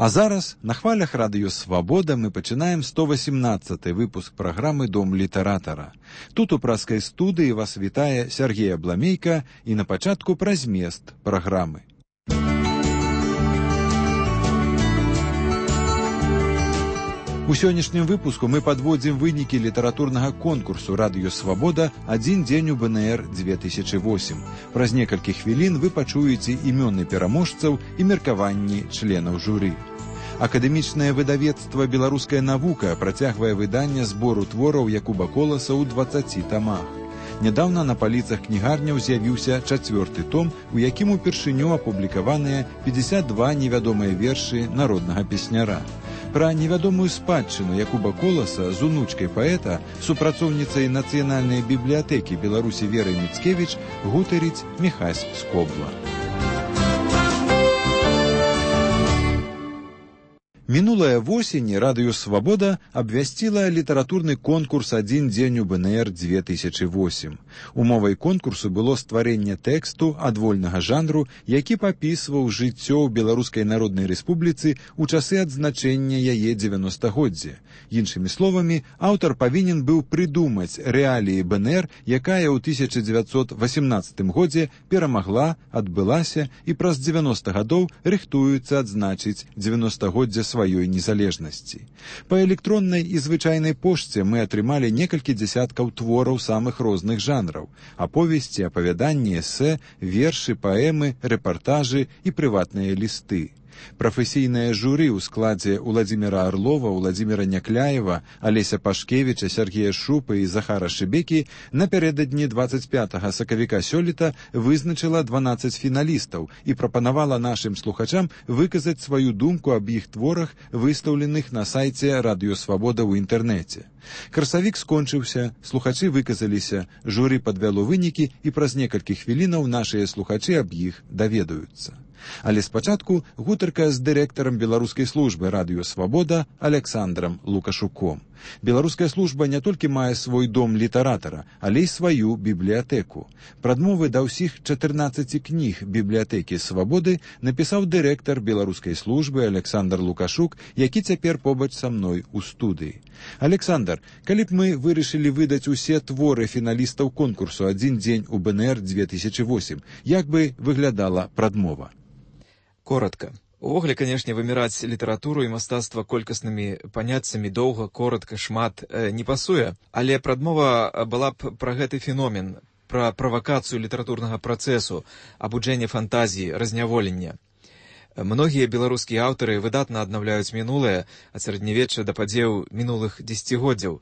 А зараз на хвалях Радыё Свабода мы пачынаем 118-й выпуск праграмы «Дом літаратара». Тут у праскай студыі вас вітае Сяргей Абламейка і на пачатку пра змест праграмы. У сённяшнім выпуску мы падводзім вынікі літаратурнага конкурсу «Радыё Свабода. Адзін дзень у БНР-2008». Праз некалькі хвілін вы пачуеце імёны пераможцаў і меркаванні членаў журы. Акадэмічнае выдавецтва «Беларуская навука» працягвае выданне збору твораў Якуба Коласа ў 20 тамах. Нядаўна на паліцах кнігарняў з'явіўся 4-й том, у якім упершыню апублікаваныя 52 невядомыя вершы народнага песняра. Пра невядомую спадчыну Якуба Коласа з унучкай паэта, супрацоўніцай Нацыянальнай бібліятэкі Беларусі Верай Міцкевіч гутарыць Міхась Скобла. Мінулая восень «Радыё Свабода» абвясціла літаратурны конкурс «Адзін дзень у БНР-2008». Умовай конкурсу было стварэнне тэксту адвольнага жанру, які папісваў жыццё ў Беларускай Народнай Рэспубліцы ў часы адзначэння яе 90-годдзя. Іншымі словамі, аўтар павінен быў прыдумаць рэаліі БНР, якая ў 1918 годзе перамагла, адбылася і праз 90 гадоў рыхтуецца адзначыць 90-годдзя сваёй незалежнасці. Па электроннай і звычайнай пошце мы атрымалі некалькі дзясяткаў твораў самых розных жанраў: аповесці, апавяданні, эсэ, вершы, паэмы, рэпартажы і прыватныя лісты. Прафесійнае журы ў складзе Уладзіміра Арлова, Уладзіміра Някляева, Алеся Пашкевіча, Сергея Шупы і Захара Шыбекі напярэдадні 25 сакавіка сёлета вызначыла 12 фіналістаў і прапанавала нашым слухачам выказаць сваю думку аб іх творах, выстаўленых на сайце «Радыё Свабода» ў інтэрнэце. Красавік скончыўся, слухачы выказаліся, журы падвяло вынікі і праз некалькі хвілінаў нашыя слухачы аб іх даведаюцца. Але спачатку гутарка з дырэктарам беларускай службы «Радыё Свабода» Александрам Лукашуком. Беларуская служба не толькі мае свой дом літаратара, але і сваю бібліятэку. Прадмовы да ўсіх 14 кніг бібліятэкі «Свабоды» напісаў дырэктар беларускай службы Александр Лукашук, які цяпер побач са мной у студыі. Александр, калі б мы вырашылі выдаць усе творы фіналістаў конкурсу «Адзін дзень у БНР-2008», як бы выглядала прадмова? Коротко. Увогуле, канешне, выміраць літаратуру і мастацтва колькаснымі паняццямі доўга, коротка, шмат не пасуе, але прадмова была б пра гэты феномен, пра правакацыю літаратурнага працэсу, абуджэнне фантазіі, разняволення. Многія беларускія аўтары выдатна аднаўляюць мінулае, ад сярэднявечча да падзеяў мінулых дзесяцігоддзяў,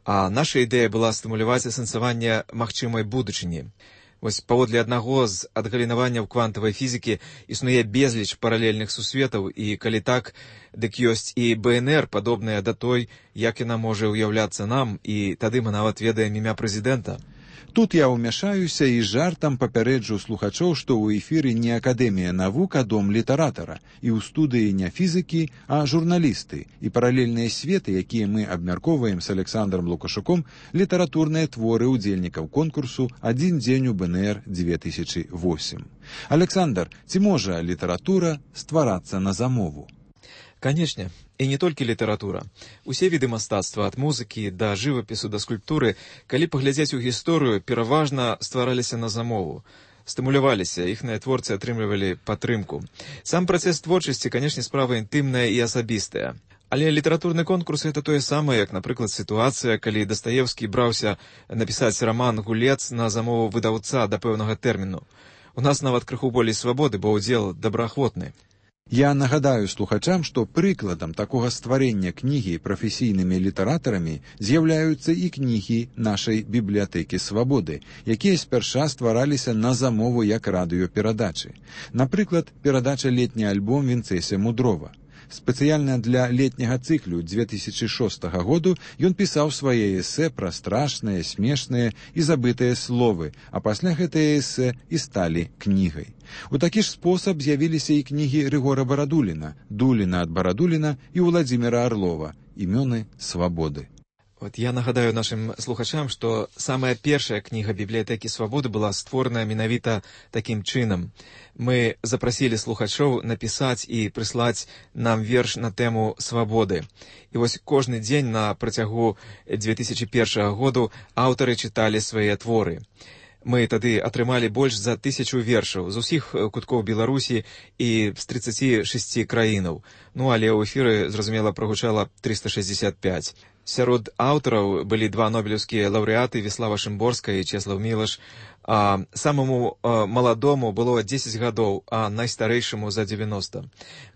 а наша ідэя была стымуляваць асэнсаванне магчымай будучыні. Вось паводле аднаго з адгалінаванняў квантавай фізікі існуе безліч паралельных сусветаў, і калі так, дык ёсць і БНР, падобная да той, як яна можа ўяўляцца нам, і тады мы нават ведаем імя прэзідэнта. Тут я ўмяшаюся і жартам папярэджу слухачоў, што ў эфіры не Акадэмія навук, а дом літаратара, і ў студыі не фізікі, а журналісты, і паралельныя светы, якія мы абмяркоўваем з Александром Лукашуком, літаратурныя творы ўдзельнікаў конкурсу «Адзін дзень у БНР-2008». Александр, ці можа літаратура стварацца на замову? Канечне, і не толькі літаратура. Усе віды мастацтва, ад музыкі да жывапісу да скульптуры, калі паглядзець у гісторыю, пераважна ствараліся на замову. Стымуляваліся, іхныя творцы атрымлівалі падтрымку. Сам працэс творчасці, канешне, справа інтымная і асабістая. Але літаратурны конкурс — это тое самае, як, напрыклад, сітуацыя, калі Дастаевскі браўся напісаць раман «Гулец» на замову выдаўца да пэўнага тэрміну. У нас нават крыху болей свабоды, бо ўдзел добраахвотны. Я нагадаю слухачам, што прыкладам такога стварэння кнігі прафесійнымі літаратарамі з'яўляюцца і кнігі нашай бібліятэкі «Свабоды», якія спярша ствараліся на замову як радыёперадачы. Напрыклад, перадача «Летні альбом» Вінцэсія Мудрова. Спецыяльна для летняга цыклю 2006 году ён пісаў свае эсэ пра страшныя, смешныя і забытыя словы, а пасля гэтыя эсэ і сталі кнігай. У такі ж спосаб з'явіліся і кнігі Рыгора Барадуліна, Дуліна ад Барадуліна і Уладзіміра Арлова, імёны «Свабоды». Вот я нагадаю нашим слухачам, што самая першая кніга бібліятэкі «Свабоды» была створана менавіта такім чынам. Мы запрасілі слухачоў напісаць і прыслаць нам верш на тэму свабоды. І вось кожны дзень на працягу 2001 году аўтары чыталі свае творы. Мы тады атрымалі больш за 1000 вершаў з усіх куткоў Беларусі і з 36 краінаў. Ну, але ў эфіры, зразумела, прагучала 365. Сярод аўтараў былі 2 нобелеўскія лаўрэаты Віслава Шымборская і Чеслав Мілаш. Самому маладому было 10 гадоў, а найстарэйшаму за 90.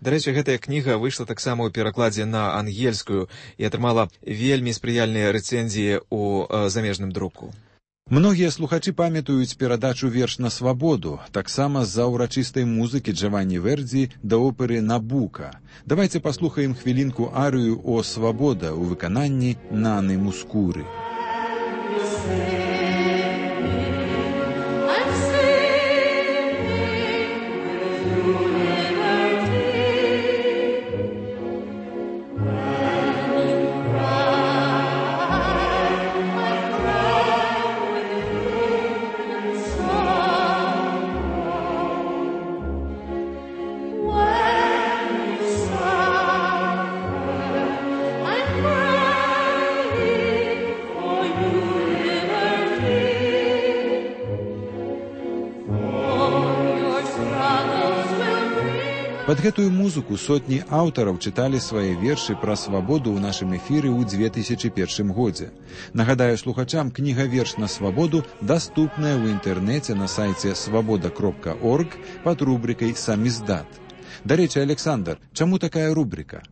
Дарэчы, гэтая кніга выйшла таксама ў перакладзе на ангельскую і атрымала вельмі спрыяльныя рэцэнзіі ў замежным друку. Многія слухачы памятаюць перадачу «Верш на свабоду», таксама з-за ўрачыстай музыкі Джаванні Вердзі да оперы «Набука». Давайце паслухаем хвілінку арыю «О свабода» у выкананні Наны Мускуры. Пад гэтую музыку сотні аўтараў чыталі свае вершы пра свабоду ў нашым эфіры ў 2001 годзе. Нагадаю слухачам, кніга «Верш на свабоду» даступная ў інтэрнэце на сайце свабода.орг пад рубрикай «Самиздат». Дарэчы, Александр, чаму такая рубрика?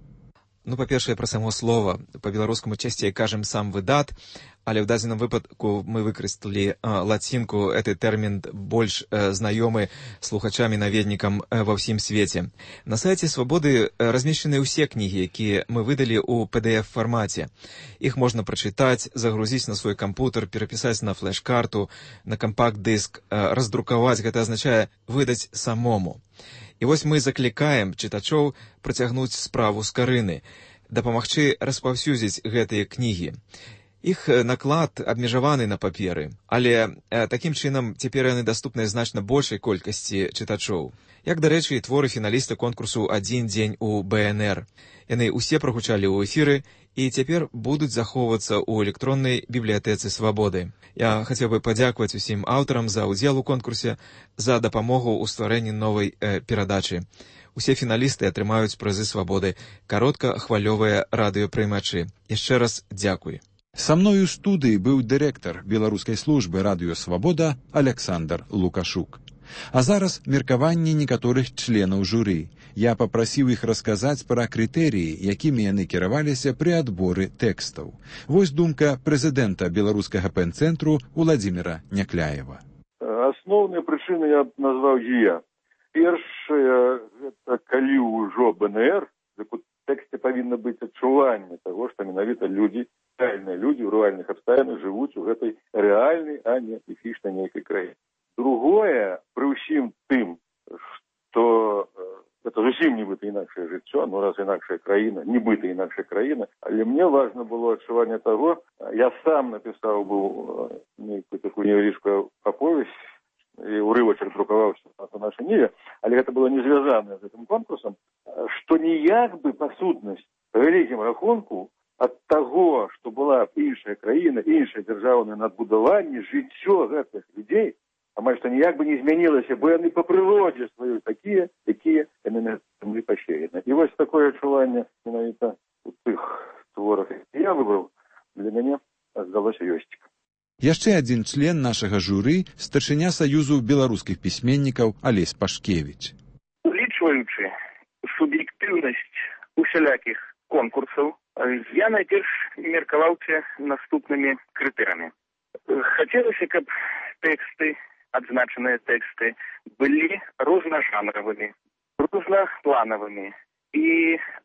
Ну, па-першае, пра само слова. Па-беларускаму часцей кажам «сам выдат», але ў дадзеным выпадку мы выкарысталі лацінку. Гэты тэрмін больш знаёмы слухачам і наведнікам ва ўсім свеце. На сайце «Свабоды» размешчаны ўсе кнігі, якія мы выдалі ў PDF-фармаце. Іх можна прачытаць, загрузіць на свой кампутер, перапісаць на флеш-карту, на кампакт-дыск, раздрукаваць. Гэта азначае выдаць самому. І вось мы заклікаем чытачоў працягнуць справу з карыны, дапамагчы распаўсюдзіць гэтыя кнігі. Іх наклад абмежаваны на паперы, але такім чынам цяпер яны даступныя значна большай колькасці чытачоў. Як, дарэчы, і творы фіналіста конкурсу «Адзін дзень у БНР». Яны ўсе прагучалі ў эфіры і цяпер будуць захоўвацца ў электроннай бібліятэцы «Свабоды». Я хацеў бы падзякаваць усім аўтарам за ўдзел у конкурсе, за дапамогу ў стварэнні новай перадачы. Усе фіналісты атрымаюць прызы «Свабоды», кароткахвалёвыя радыёпрымачы. Яшчэ раз дзякуй. Са мною ў студыі быў дырэктар беларускай службы радыё «Свабода» Александр Лукашук. А зараз меркаванні некаторых членаў журы. Я папрасіў іх расказаць пра крытэрыі, якімі яны кіраваліся пры адборы тэкстаў. Вось думка прэзідэнта беларускага пэн-цэнтру Уладзіміра Някляева. Асноўныя прычыны я назваў дзве. Першае, гэта калі ўжо БНР, у тэксце павінна быць адчуванне таго, што менавіта людзі, рэальныя людзі ў рэальных абставінах жывуць у гэтай рэальнай, а не міфічнай нейкай краіне. Другое, пры ўсім тым, што гэта зусім нібыта інакшае жыццё, ну раз інакшая краіна, нібыта інакшая краіна, але мне важна было адчуванне таго, я сам напісаў быў нейкую такую невялічкую аповесць, і ўрывачак друкаваўся на нашай ніве, але гэта было не звязанае з гэтым конкурсам, што ніяк бы па сутнасці, па вялікім рахунку, ад таго, што была іншая краіна, іншае дзяржаўнае надбудаванне, жыццё гэтых людзей, амаль што ніяк бы не змянілася, бо яны па прыродзе сваёй такія, якія яны на зямлі пасеяны. І вось такое адчуванне менавіта у тых творах, які я выбраў, для мяне здалося ёсцік. Яшчэ адзін член нашага журы, старшыня Саюзу беларускіх пісьменнікаў Алесь Пашкевіч. Улічваючы суб'ектыўнасць усялякіх конкурсаў, я найперш меркаваўся наступнымі крытэрамі. Хацелася, каб тэксты, адзначаныя тэксты, былі рознажанравымі, рознапланавымі і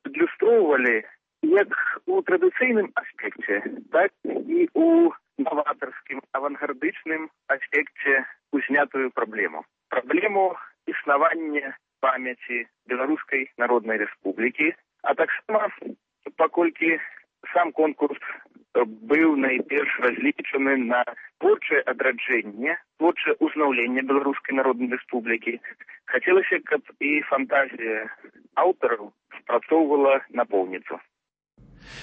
адлюстроўвалі як у традыцыйным аспекце, так і у новатарскім, авангардычным аспекце узнятую праблему. Праблему існавання памяці Беларускай Народнай Рэспублікі, а таксама, паколькі сам конкурс быў найперш разлічаны на творчае адраджэнне, творчае ўзнаўленне Беларускай Народнай Рэспублікі, хацелася, каб і фантазія аўтараў спрацоўвала напоўніцу.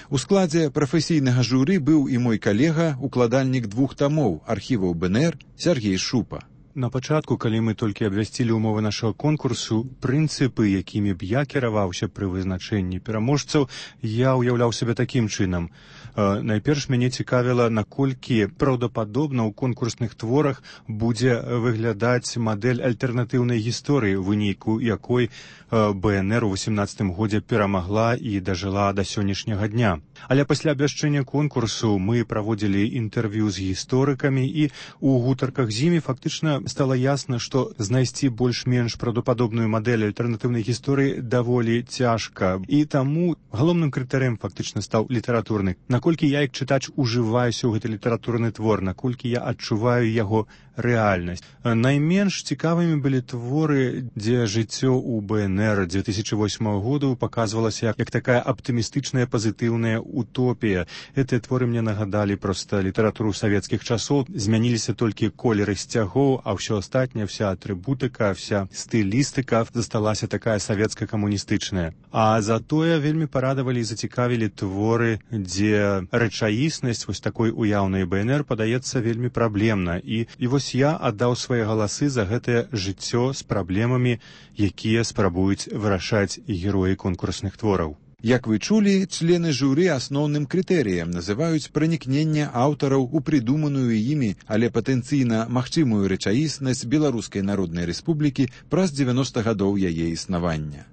У складзе прафесійнага журы быў і мой калега, укладальнік 2 тамоў архіваў БНР Сергей Шупа. На пачатку, калі мы толькі абвясцілі ўмовы нашага конкурсу, прынцыпы, якімі б я кіраваўся пры вызначэнні пераможцаў, я ўяўляў сябе такім чынам. Найперш мяне цікавіла, наколькі праўдападобна ў конкурсных творах будзе выглядаць мадэль альтэрнатыўнай гісторыі, у выніку якой БНР у 18 годзе перамагла і дажыла да сённяшняга дня. Але пасля абвяшчэння конкурсу мы праводзілі інтэрв'ю з гісторыкамі, і ў гутарках з імі фактычна стала ясна, што знайсці больш-менш праўдападобную мадэль альтэрнатыўнай гісторыі даволі цяжка. І таму галоўным крытэрыем фактычна стаў літаратурны. Наколькі я, як чытач, ужываюся ў гэты літаратурны твор, наколькі я адчуваю яго рэальнасць. Найменш цікавымі былі творы, дзе жыццё ў БНР 2008 году паказвалася як такая аптымістычная пазітыўная утопія. Гэтыя творы мне нагадалі проста літаратуру савецкіх часоў, змяніліся толькі колеры сцягоў, а ўсё астатняе, вся атрыбутыка, вся стылістыка засталася такая савецка-камуністычная. А затое вельмі парадавалі і зацікавілі творы, дзе рэчаіснасць вось такой уяўнай БНР падаецца вельмі праблемна. І вось я аддаў свае галасы за гэтае жыццё з праблемамі, якія спрабуюць вырашаць героі конкурсных твораў. Як вы чулі, члены журы асноўным крытэрыем называюць пранікненне аўтараў у прыдуманую імі, але патэнцыйна магчымую рэчаіснасць Беларускай Народнай Рэспублікі праз 90 гадоў яе існавання.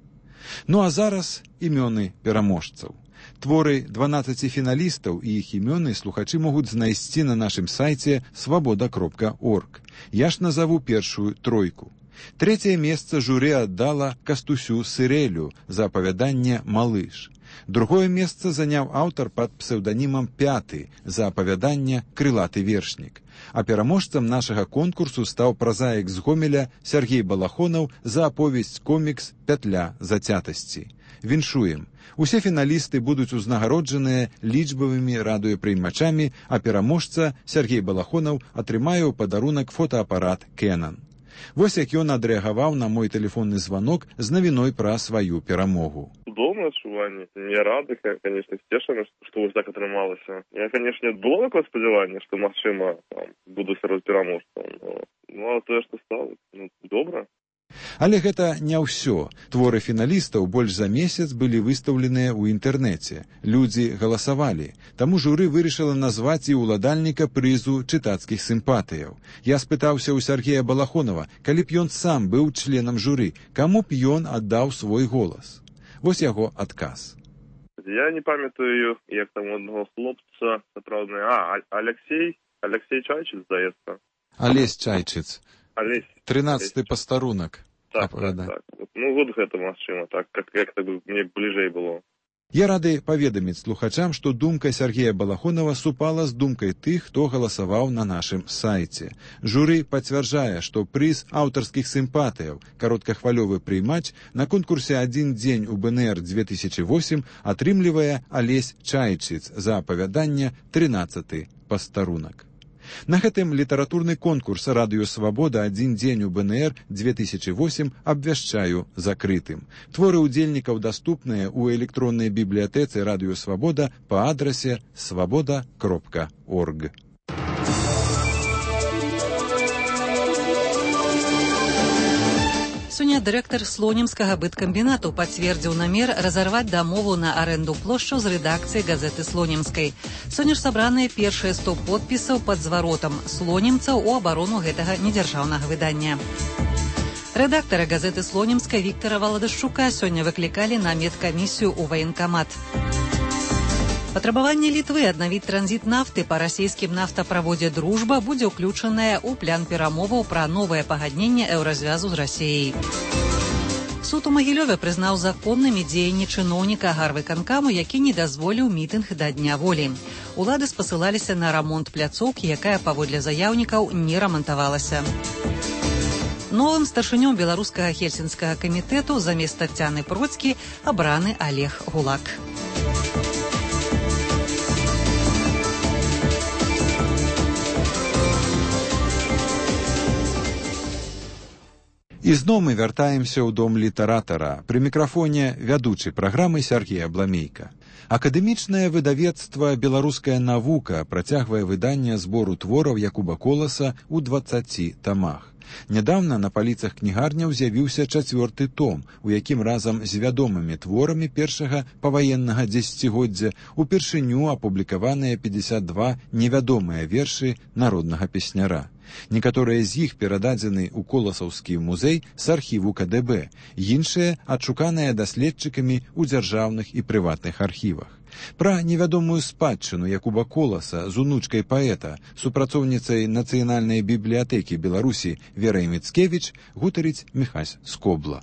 Ну а зараз імёны пераможцаў. Творы 12 фіналістаў і іх імёны слухачы могуць знайсці на нашым сайце свабода.орг. Я ж назову першую тройку. 3-е месца журы аддала Кастусю Сырэлю за апавяданне «Малыш». 2-е месца заняў аўтар пад псеўданімам Пяты за апавяданне «Крылаты вершнік». А пераможцам нашага конкурсу стаў празаік з Гомеля Сергей Балахонаў за аповесць-комікс «Пятля зацятасці». Віншуем! Усе фіналісты будуць узнагароджаныя лічбавымі радыёпрыймачамі, а пераможца Сергей Балахонаў атрымае ў падарунак фотоапарат Canon. Вось як ён адрэагаваў на мой тэлефонны званок з навіной пра сваю перамогу. Цудоўнае адчуванне. Я рады, конечно, сцешаны, што вось так атрымалася. Я, конечно, было такое спадзяванне, што, магчыма, буду сярод пераможцаў. Ну, а тое, што стала, добра. Але гэта не ўсё. Творы фіналістаў больш за месяц былі выстаўленыя ў інтэрнэце. Людзі галасавалі. Таму журы вырашыла назваць і ўладальніка прызу чытацкіх сімпатыяў. Я спытаўся ў Сергея Балахонава, калі б ён сам быў членам журы, каму б ён аддаў свой голас. Вось яго адказ. Я не памятаю, як там одного хлопца, сапраўдны, Алексей Чайчыц, здаецца. Алесь Чайчыц. 13-й пастарунак. Так. Ну, вот гэта магчыма, так, як-то мне бліжэй было. Я рады паведаміць слухачам, што думка Сергея Балахонава супала з думкай тых, хто галасаваў на нашым сайце. Журы пацвярджае, што прыз аўтарскіх сімпатыяў кароткахвалёвы прыймач на конкурсе «Адзін дзень у БНР 2008» атрымлівае Алесь Чайчыц за апавяданне «13-й пастарунак». На гэтым літаратурны конкурс «Радыё Свабода. Адзін дзень у БНР 2008» абвяшчаю закрытым. Творы ўдзельнікаў даступныя ў электроннай бібліятэцы «Радыё Свабода» па адрасе свабода.орг. Сёння дырэктар слонімскага быткамбінату пацвердзіў намер разарваць дамову на арэнду плошчаў з рэдакцыяй газеты слонімскай. Сёння ж сабраныя першыя 100 подпісаў пад зваротам слонімцаў у абарону гэтага недзяржаўнага выдання. Рэдактара газеты слонімскай Віктара Валадашчука сёння выклікалі на медкамісію ў ваенкамат. Патрабаванне Літвы аднавіць транзіт нафты па расійскім нафтаправодзе «Дружба» будзе ўключанае ў план перамоваў пра новае пагадненне еўразвязу з Расіяй. Суд у Магілёве прызнаў законнымі дзеянні чыноўніка гарвыканкаму, які не дазволіў мітынг да Дня волі. Улады спасылаліся на рамонт пляцоўкі, якая, паводле заяўнікаў, не рамантавалася. Новым старшынём беларускага хельсінскага камітэту замест Таццяны Процкі абраны Олег Гулак. І зноў мы вяртаемся ў дом літаратара. Пры мікрафоне вядучы праграмы Сергей Абламейка. Акадэмічнае выдавецтва «Беларуская навука» працягвае выданне збору твораў Якуба Коласа ў 20 тамах. Нядаўна на паліцах кнігарняў з'явіўся 4-ты том, у якім разам з вядомымі творамі першага паваеннага дзесяцігоддзя упершыню апублікаваныя 52 невядомыя вершы народнага песняра. Некаторыя з іх перададзены ў Коласаўскі музей з архіву КДБ, іншыя адшуканыя даследчыкамі ў дзяржаўных і прыватных архівах. Пра невядомую спадчыну Якуба Коласа з унучкай паэта, супрацоўніцай Нацыянальнай бібліятэкі Беларусі Верай Міцкевіч гутарыць Міхась Скобла.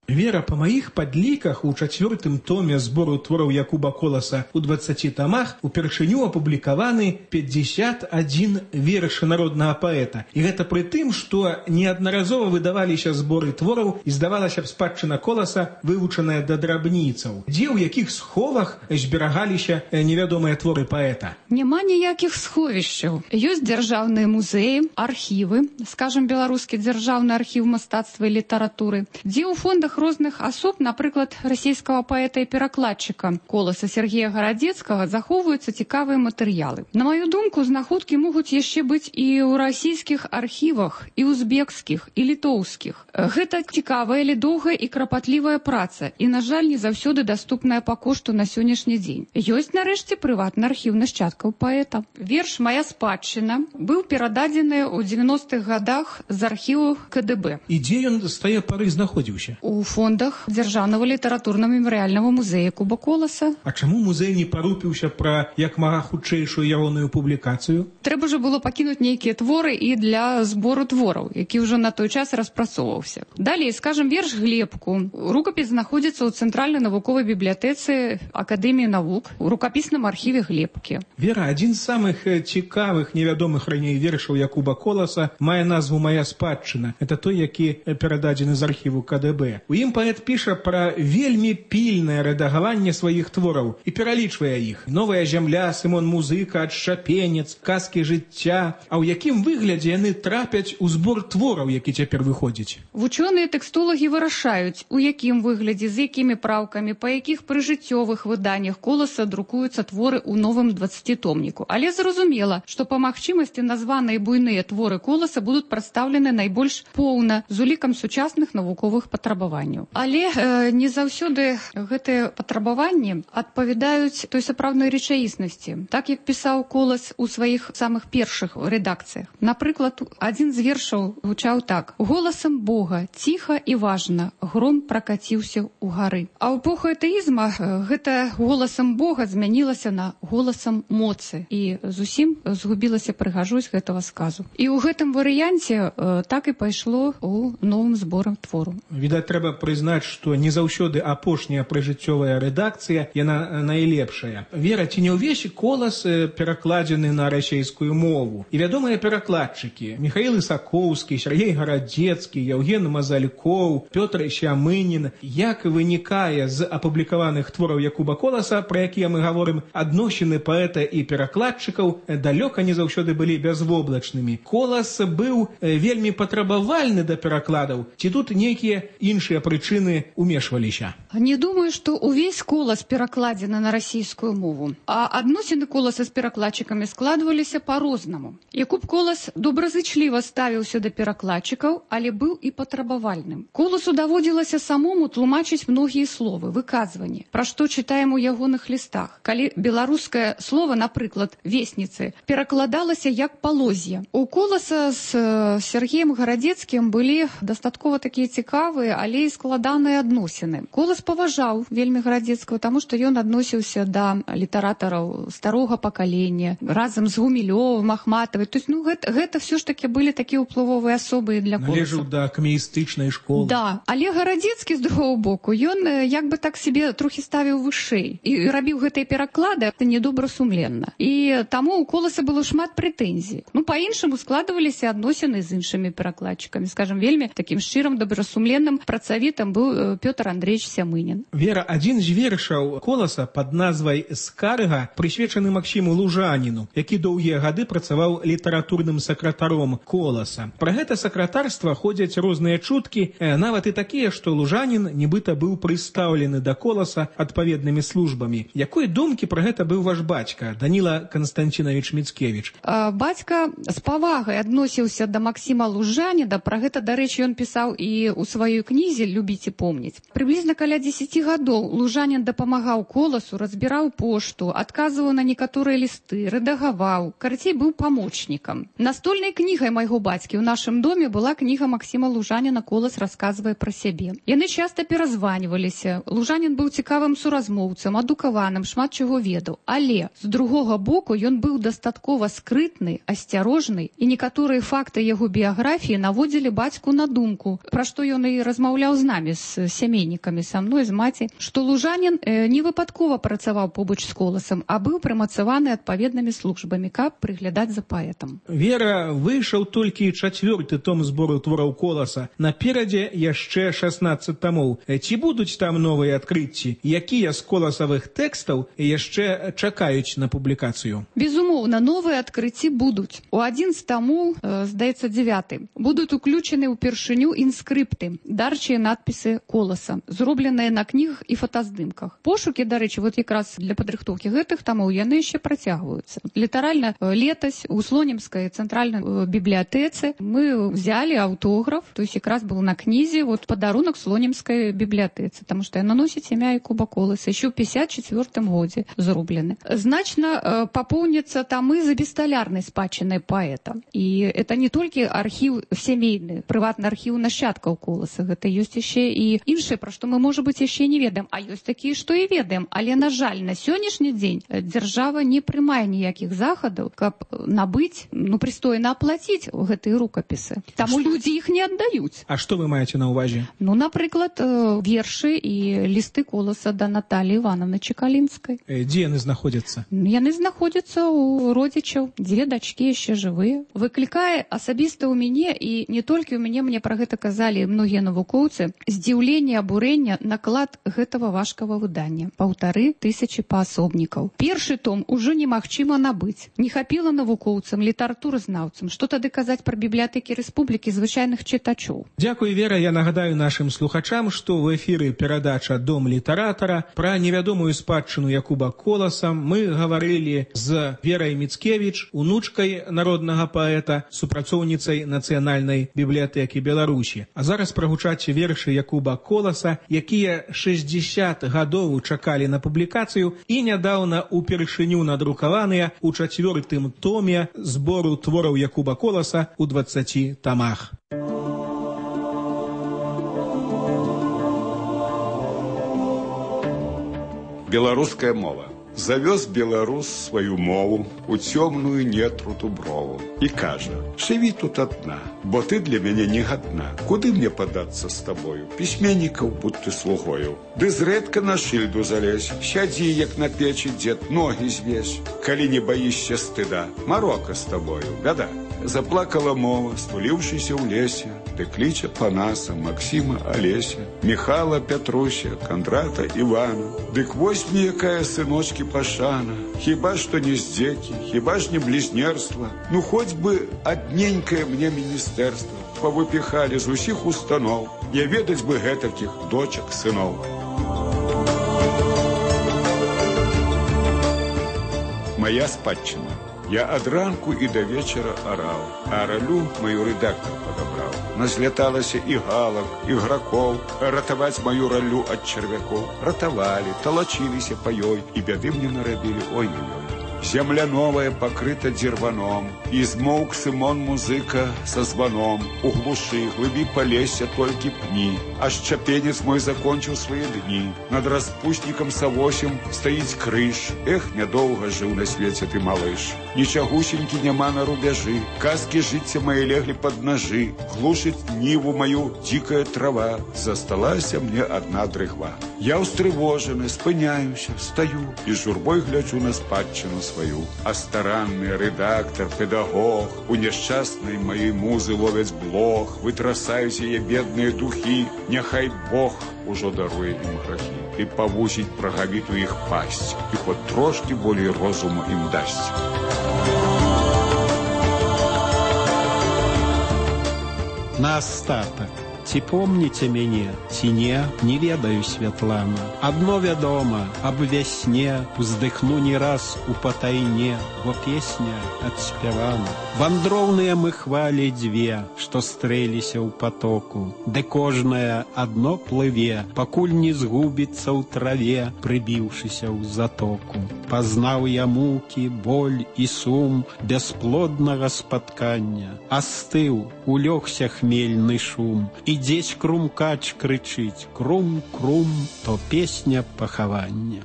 Вера, по моих подликах, у 4-тым томе збору твораў Якуба Коласа у 20 томах упершыню апублікаваны 51 верш народнага паэта. І гэта пры тым, што неаднаразова выдаваліся зборы твораў і здавалася б спадчына Коласа вывучаная да драбніцаў, дзе ў якіх сховах зберагаліся невядомыя творы паэта. Няма ніякіх сховішчаў. Ёсць дзяржаўныя музеі, архівы, скажем, беларускі дзяржаўны архіў мастацтва і літаратуры, дзе ў фондах розных асоб, напрыклад, расійскага паэта і перакладчыка Коласа Сергея Гарадзецкага, захоўваюцца цікавыя матэрыялы. На маю думку, знаходкі могуць яшчэ быць і ў расійскіх архівах, і узбекскіх, і літоўскіх. Гэта цікавая, але доўгая і крапатлівая праца, і, на жаль, не заўсёды даступная па кошту на сённяшні дзень. Ёсць, нарэшце, прыватны архіў нашчадкаў паэта. Верш «Мая спадчына» быў перададзены ў 90-х гадах з архіву КДБ. І дзе ён з тае пары знаходзіўся? У фондах дзяржаўнага літаратурна-мемарыяльнага музея Якуба Коласа. А чаму музей не парупіўся пра як мага хутчэйшую ягоную публікацыю? Трэба ж было пакінуць нейкія творы і для збору твораў, які ўжо на той час распрацоўваўся. Далей, скажем, верш «Глебку». Рукапіс знаходзіцца ў Цэнтральнай навуковай бібліятэцы Акадэміі навук у рукапісным архіве Глебкі. Вера, адзін з самых цікавых невядомых раней вершаў Якуба Коласа мае назву «Мая спадчына». Это той, які перададзены з архіву КДБ. У ім паэт піша пра вельмі пільнае рэдагаванне сваіх твораў і пералічвае іх. «Новая зямля», «Сымон Музыка», «Адшчапенец», «Казкі жыцця». А ў якім выглядзе яны трапяць у збор твораў, які цяпер выходзіць? Вучоныя-тэкстолагі вырашаюць, у якім выглядзе, з якімі праўкамі, па якіх прыжыццёвых выданнях Коласа друкуюцца творы ў новым 20-томніку. Але зразумела, што па магчымасці названыя буйныя творы Коласа будуць прадстаўлены найбольш поўна з улікам сучасных навуковых патрабаванняў. Але не заўсёды гэтыя патрабаванні адпавядаюць той сапраўднай рэчаіснасці, так як пісаў Колас у сваіх самых першых рэдакцыях. Напрыклад, адзін з вершаў гучаў так: «Голасам Бога, ціха і важна, гром пракаціўся ў гары». А ў эпоху атэізма гэта голасам Бога змянілася на голасам моцы, і зусім згубілася прыгажосць гэтага сказу. І ў гэтым варыянце так і пайшло ў новым зборам твору. Відаць, трэба прызнаць, што не заўсёды апошняя прыжыццёвая рэдакцыя, яна найлепшая. Вера, ці не ўвесь Колас перакладзены на расейскую мову? І вядомыя перакладчыкі Міхаіл Ісакоўскі, Сергей Гарадзецкі, Яўген Мазалькоў, Пётр Сямынін. Як вынікае з апублікаваных твораў Якуба Коласа, пра якія мы гаворым, адносіны паэта і перакладчыкаў далёка не заўсёды былі бязвоблачнымі. Колас быў вельмі патрабавальны да перакладаў, ці тут нейкія іншыя прычыны умешваліся? Не думаю, што ўвесь Колас перакладзены на расійскую мову. А адносіны Коласа з перакладчыкамі складваліся па-рознаму. Якуб Колас добразычліва ставіўся да перакладчыкаў, але быў і патрабавальным. Коласу даводзілася самому тлумачыць многія словы, выказванні, пра што чытаем у ягоных лістах. Калі беларускае слово, напрыклад, «весніцы», перакладалася як «палоз'я». У Коласа з Сергеем Гарадзецкім былі дастаткова такія цікавыя, але і складаныя адносіны. Колас паважаў вельмі Гарадзецкага, таму што ён адносіўся да літаратараў старога пакалення, разам з Гумілёвым, Ахматавай. То есть, гэта все ж таки былі такія ўплывовыя асобы для Коласа. Належаў да камеістычнай школы. Да, але Гарадзецкі, з другого боку, ён як бы так себе трохі ставіў вышэй. І рабіў гэтыя пераклады недобрасумленна. І таму у Коласа было шмат прэтэнзій. Па-іншаму складваліся адносіны з іншымі перакладчыкамі. Скажем, вельмі такім шчырым, добрасумленным працавітым советом был Петр Андреевич Сямынин. Вера, один з вершаў Коласа под назвай «Скарга» прысвечаны Максіму Лужаніну, які доўгія гады працаваў літаратурным сакратаром Коласа. Пра гэта сакратарства ходзяць розныя чуткі, нават і такія, што Лужанін нібыта быў прыстаўлены да Коласа адпаведнымі службамі. Якой думкі пра гэта быў ваш бацька, Даніла Константинович Мицкевич? Бацька з павагай адносіўся да Максіма Лужаніна. Пра гэта, дарэчы, ён пісаў і ў сваёй кнізе «Любіць і помніць». Прыблізна каля 10 гадоў Лужанін дапамагаў Коласу, разбіраў пошту, адказваў на некаторыя лісты, рэдагаваў, карацей, быў памочнікам. Настольнай кнігай майго бацькі ў нашым доме была кніга Максіма Лужаніна «Колас расказвае пра сябе». Яны часта перазваніваліся. Лужанін быў цікавым суразмоўцам, адукаваным, шмат чаго ведаў. Але, з другога боку, ён быў дастаткова скрытны, асцярожны, і некаторыя факты яго біяграфіі наводзілі бацьку на думку, пра што ён і размаўляў з намі, з сямейнікамі, са мной, з маці, што Лужанін не выпадкова працаваў побач з Коласам, а быў прымацаваны адпаведнымі службамі, каб прыглядаць за паэтам. Вера, выйшаў толькі 4-й том збору твораў Коласа. Наперадзе яшчэ 16 томоў. Ці будуць там новыя адкрыцці? Якія з коласавых тэкстаў яшчэ чакаюць на публікацыю? Безумоўна, новыя адкрыцці будуць. У адзін з тамоў, здаецца, 9, будуць уключены ўпершыню інскрыпты, дарчыя надпісы Коласа, зробленыя на кнігах і фотаздымках. Пошукі, дарэчы, вот якраз для падрыхтоўкі гэтых тамоў яны яшчэ працягваюцца. Літаральна летась у Слонімскай цэнтральнай бібліятэцы мы взяли аўтограф, то есть якраз был на кнізе, вот падарунак Слонімскай бібліятэцы, таму што яна носіць імя Якуба Коласа, еще ў 54 годзе зроблены. Значна папоўняцца тамы за бесталярнай спадчынай паэта. І это не толькі архіў сямейны, прыватны архіў нашчадкаў Коласа, гэта ёсць яшчэ і іншае, пра што мы, можа быць, яшчэ не ведаем, а ёсць такія, што і ведаем. Але, на жаль, на сённяшні дзень дзяржава не прымае ніякіх захадаў, каб набыць, прыстойна аплаціць гэтыя рукапісы. Таму людзі іх не аддаюць. А што вы маеце на ўвазе? Напрыклад, вершы і лісты Коласа да Наталіі Івановны Чекалінскай. Дзе яны знаходзяцца? Яны знаходзяцца ў родзічаў. 2 дачкі яшчэ жывыя. Выклікае асабіста ў мяне, і не толькі ў мяне, мне пра гэта казалі многія навукоўцы, здзіўленне, абурэнне наклад гэтага важкага выдання. 1500 паасобнікаў. Першы том ужо немагчыма набыць. Не хапіла навукоўцам, літаратуразнаўцам. Што тады казаць пра бібліятэкі рэспублікі звычайных чытачоў? Дзякуй, Вера. Я нагадаю нашым слухачам, што ў эфіры перадача «Дом літаратара». Пра невядомую спадчыну Якуба Коласа мы гаварылі з Верай Мицкевич, унучкай народнага паэта, супрацоўніцай Нацыянальнай бібліятэкі Беларусі. А зараз прагучаць вершы Якуба Коласа, якія 60 гадоў чакалі на публікацыю і нядаўна упершыню надрукаваныя ў 4-м томе збору твораў Якуба Коласа ў 20 тамах. Беларуская мова. Завёз беларус сваю мову у цёмную нетру дуброву і кажа: «Жыві тут адна, бо ты для мяне не гадна. Куды мне падацца з табою? Пісьменнікаў будь ты слугою. Ды зрэдка на шыльду залезь, сядзі, як на печы дзед, ногі звесь. Калі не баішся стыда, марока з табою, бяда». Заплакала мова, стуліўшыся ў лесе, ды кліча Панаса, Максіма, Алеся, Міхала, Пятруся, Кандрата, Івана. Дык вось мне якая, сыночкі, пашана. Хіба што не здзекі, хіба ж не блізнерства. Хоць бы адненькае мне міністэрства павыпіхалі з усіх устаноў. Не ведаць бы гэтакіх дочак, сыноў. Моя спадчына. Я ад ранку і да вечара араў, а ралю маю рэдактар падабраў. Назляталася і галак, і гракоў, ратаваць маю ралю ад чарвякоў. Ратавалі, талачыліся па ёй, і бяды мне нарабілі, ой-ой-ой. Земля новая пакрыта дзірваном, і змоўк Сымон музыка са званом. У глушы, глыбі палесся толькі пні, аж чапенец мой закончыў свае дні. Над распуснікам Савосем стаіць крыж. Эх, нядоўга жыў на свеце ты, малыш. Нічагусенькі няма на рубяжы, казкі жыцця мае леглі пад нажы. Глушыць ніву маю дзікая трава, засталася мне адна дрыгва. Я устрывожаны, спыняюся, стаю і з журбой гляджу на спадчыну сваю. А старанны рэдактар, педагог у няшчаснай маёй музы ловяць блох, вытрасаюць яе бедныя духі. Няхай Бог ужо даруе ім грахі і павузіць прагавіту іх пасць, і хоць трошкі болей розуму ім дасць. На астатак. Ці помніце мяне, ці не, не ведаю, Святлана. Адно вядома, аб вясне уздыхну не раз у патайне, бо песня адспявана. Вандроўныя мы хвалі дзве, што стрэліся ў патоку, ды кожная адно плыве, пакуль не згубіцца ў траве, прыбіўшыся ў затоку. Пазнаў я мукі, боль і сум бясплоднага спаткання. Астыў, улёгся хмельны шум, і дзесь крумкач крычыць: крум-крум, то песня пахавання.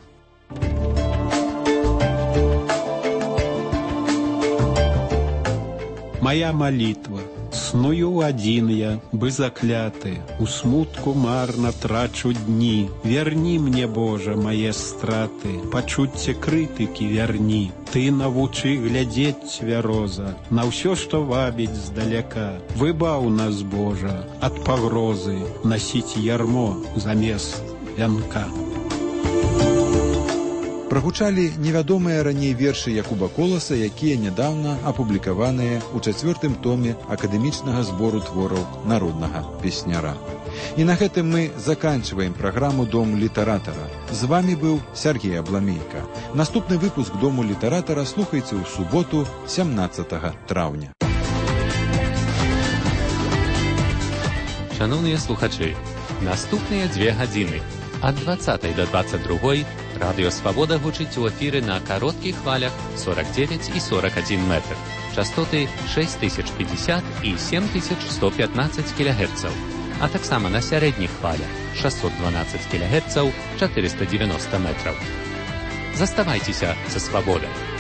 Моя молитва. Сную один я, бы закляты, у смутку марно трачу дни. Верни мне, Боже, мои страты, пачуцце крытыкі верни. Ты навучы глядзець цвяроза на ўсё, што вабіць здаляка. Выбаў нас, Божа, ад пагрозы насіць ярмо замест вянка. Прагучалі невядомыя раней вершы Якуба Коласа, якія нядаўна апублікаваныя ў 4-м томе акадэмічнага збору твораў народнага песняра. І на гэтым мы заканчиваем праграму «Дом літаратара». З вами быў Сергей Абламейка. Наступны выпуск «Дому літаратара» слухайце ў суботу, 17 траўня. Шановныя слухачы, наступныя 2 гадзіны ад 20 до 22 Радыё Свабода гучыць у эфіры на кароткіх хвалях 49 і 41 метр. Частоты 6050 і 7115 кГц, а таксама на сярэдніх хвалях 612 кГц 490 метраў. Заставайцеся са Свабодай.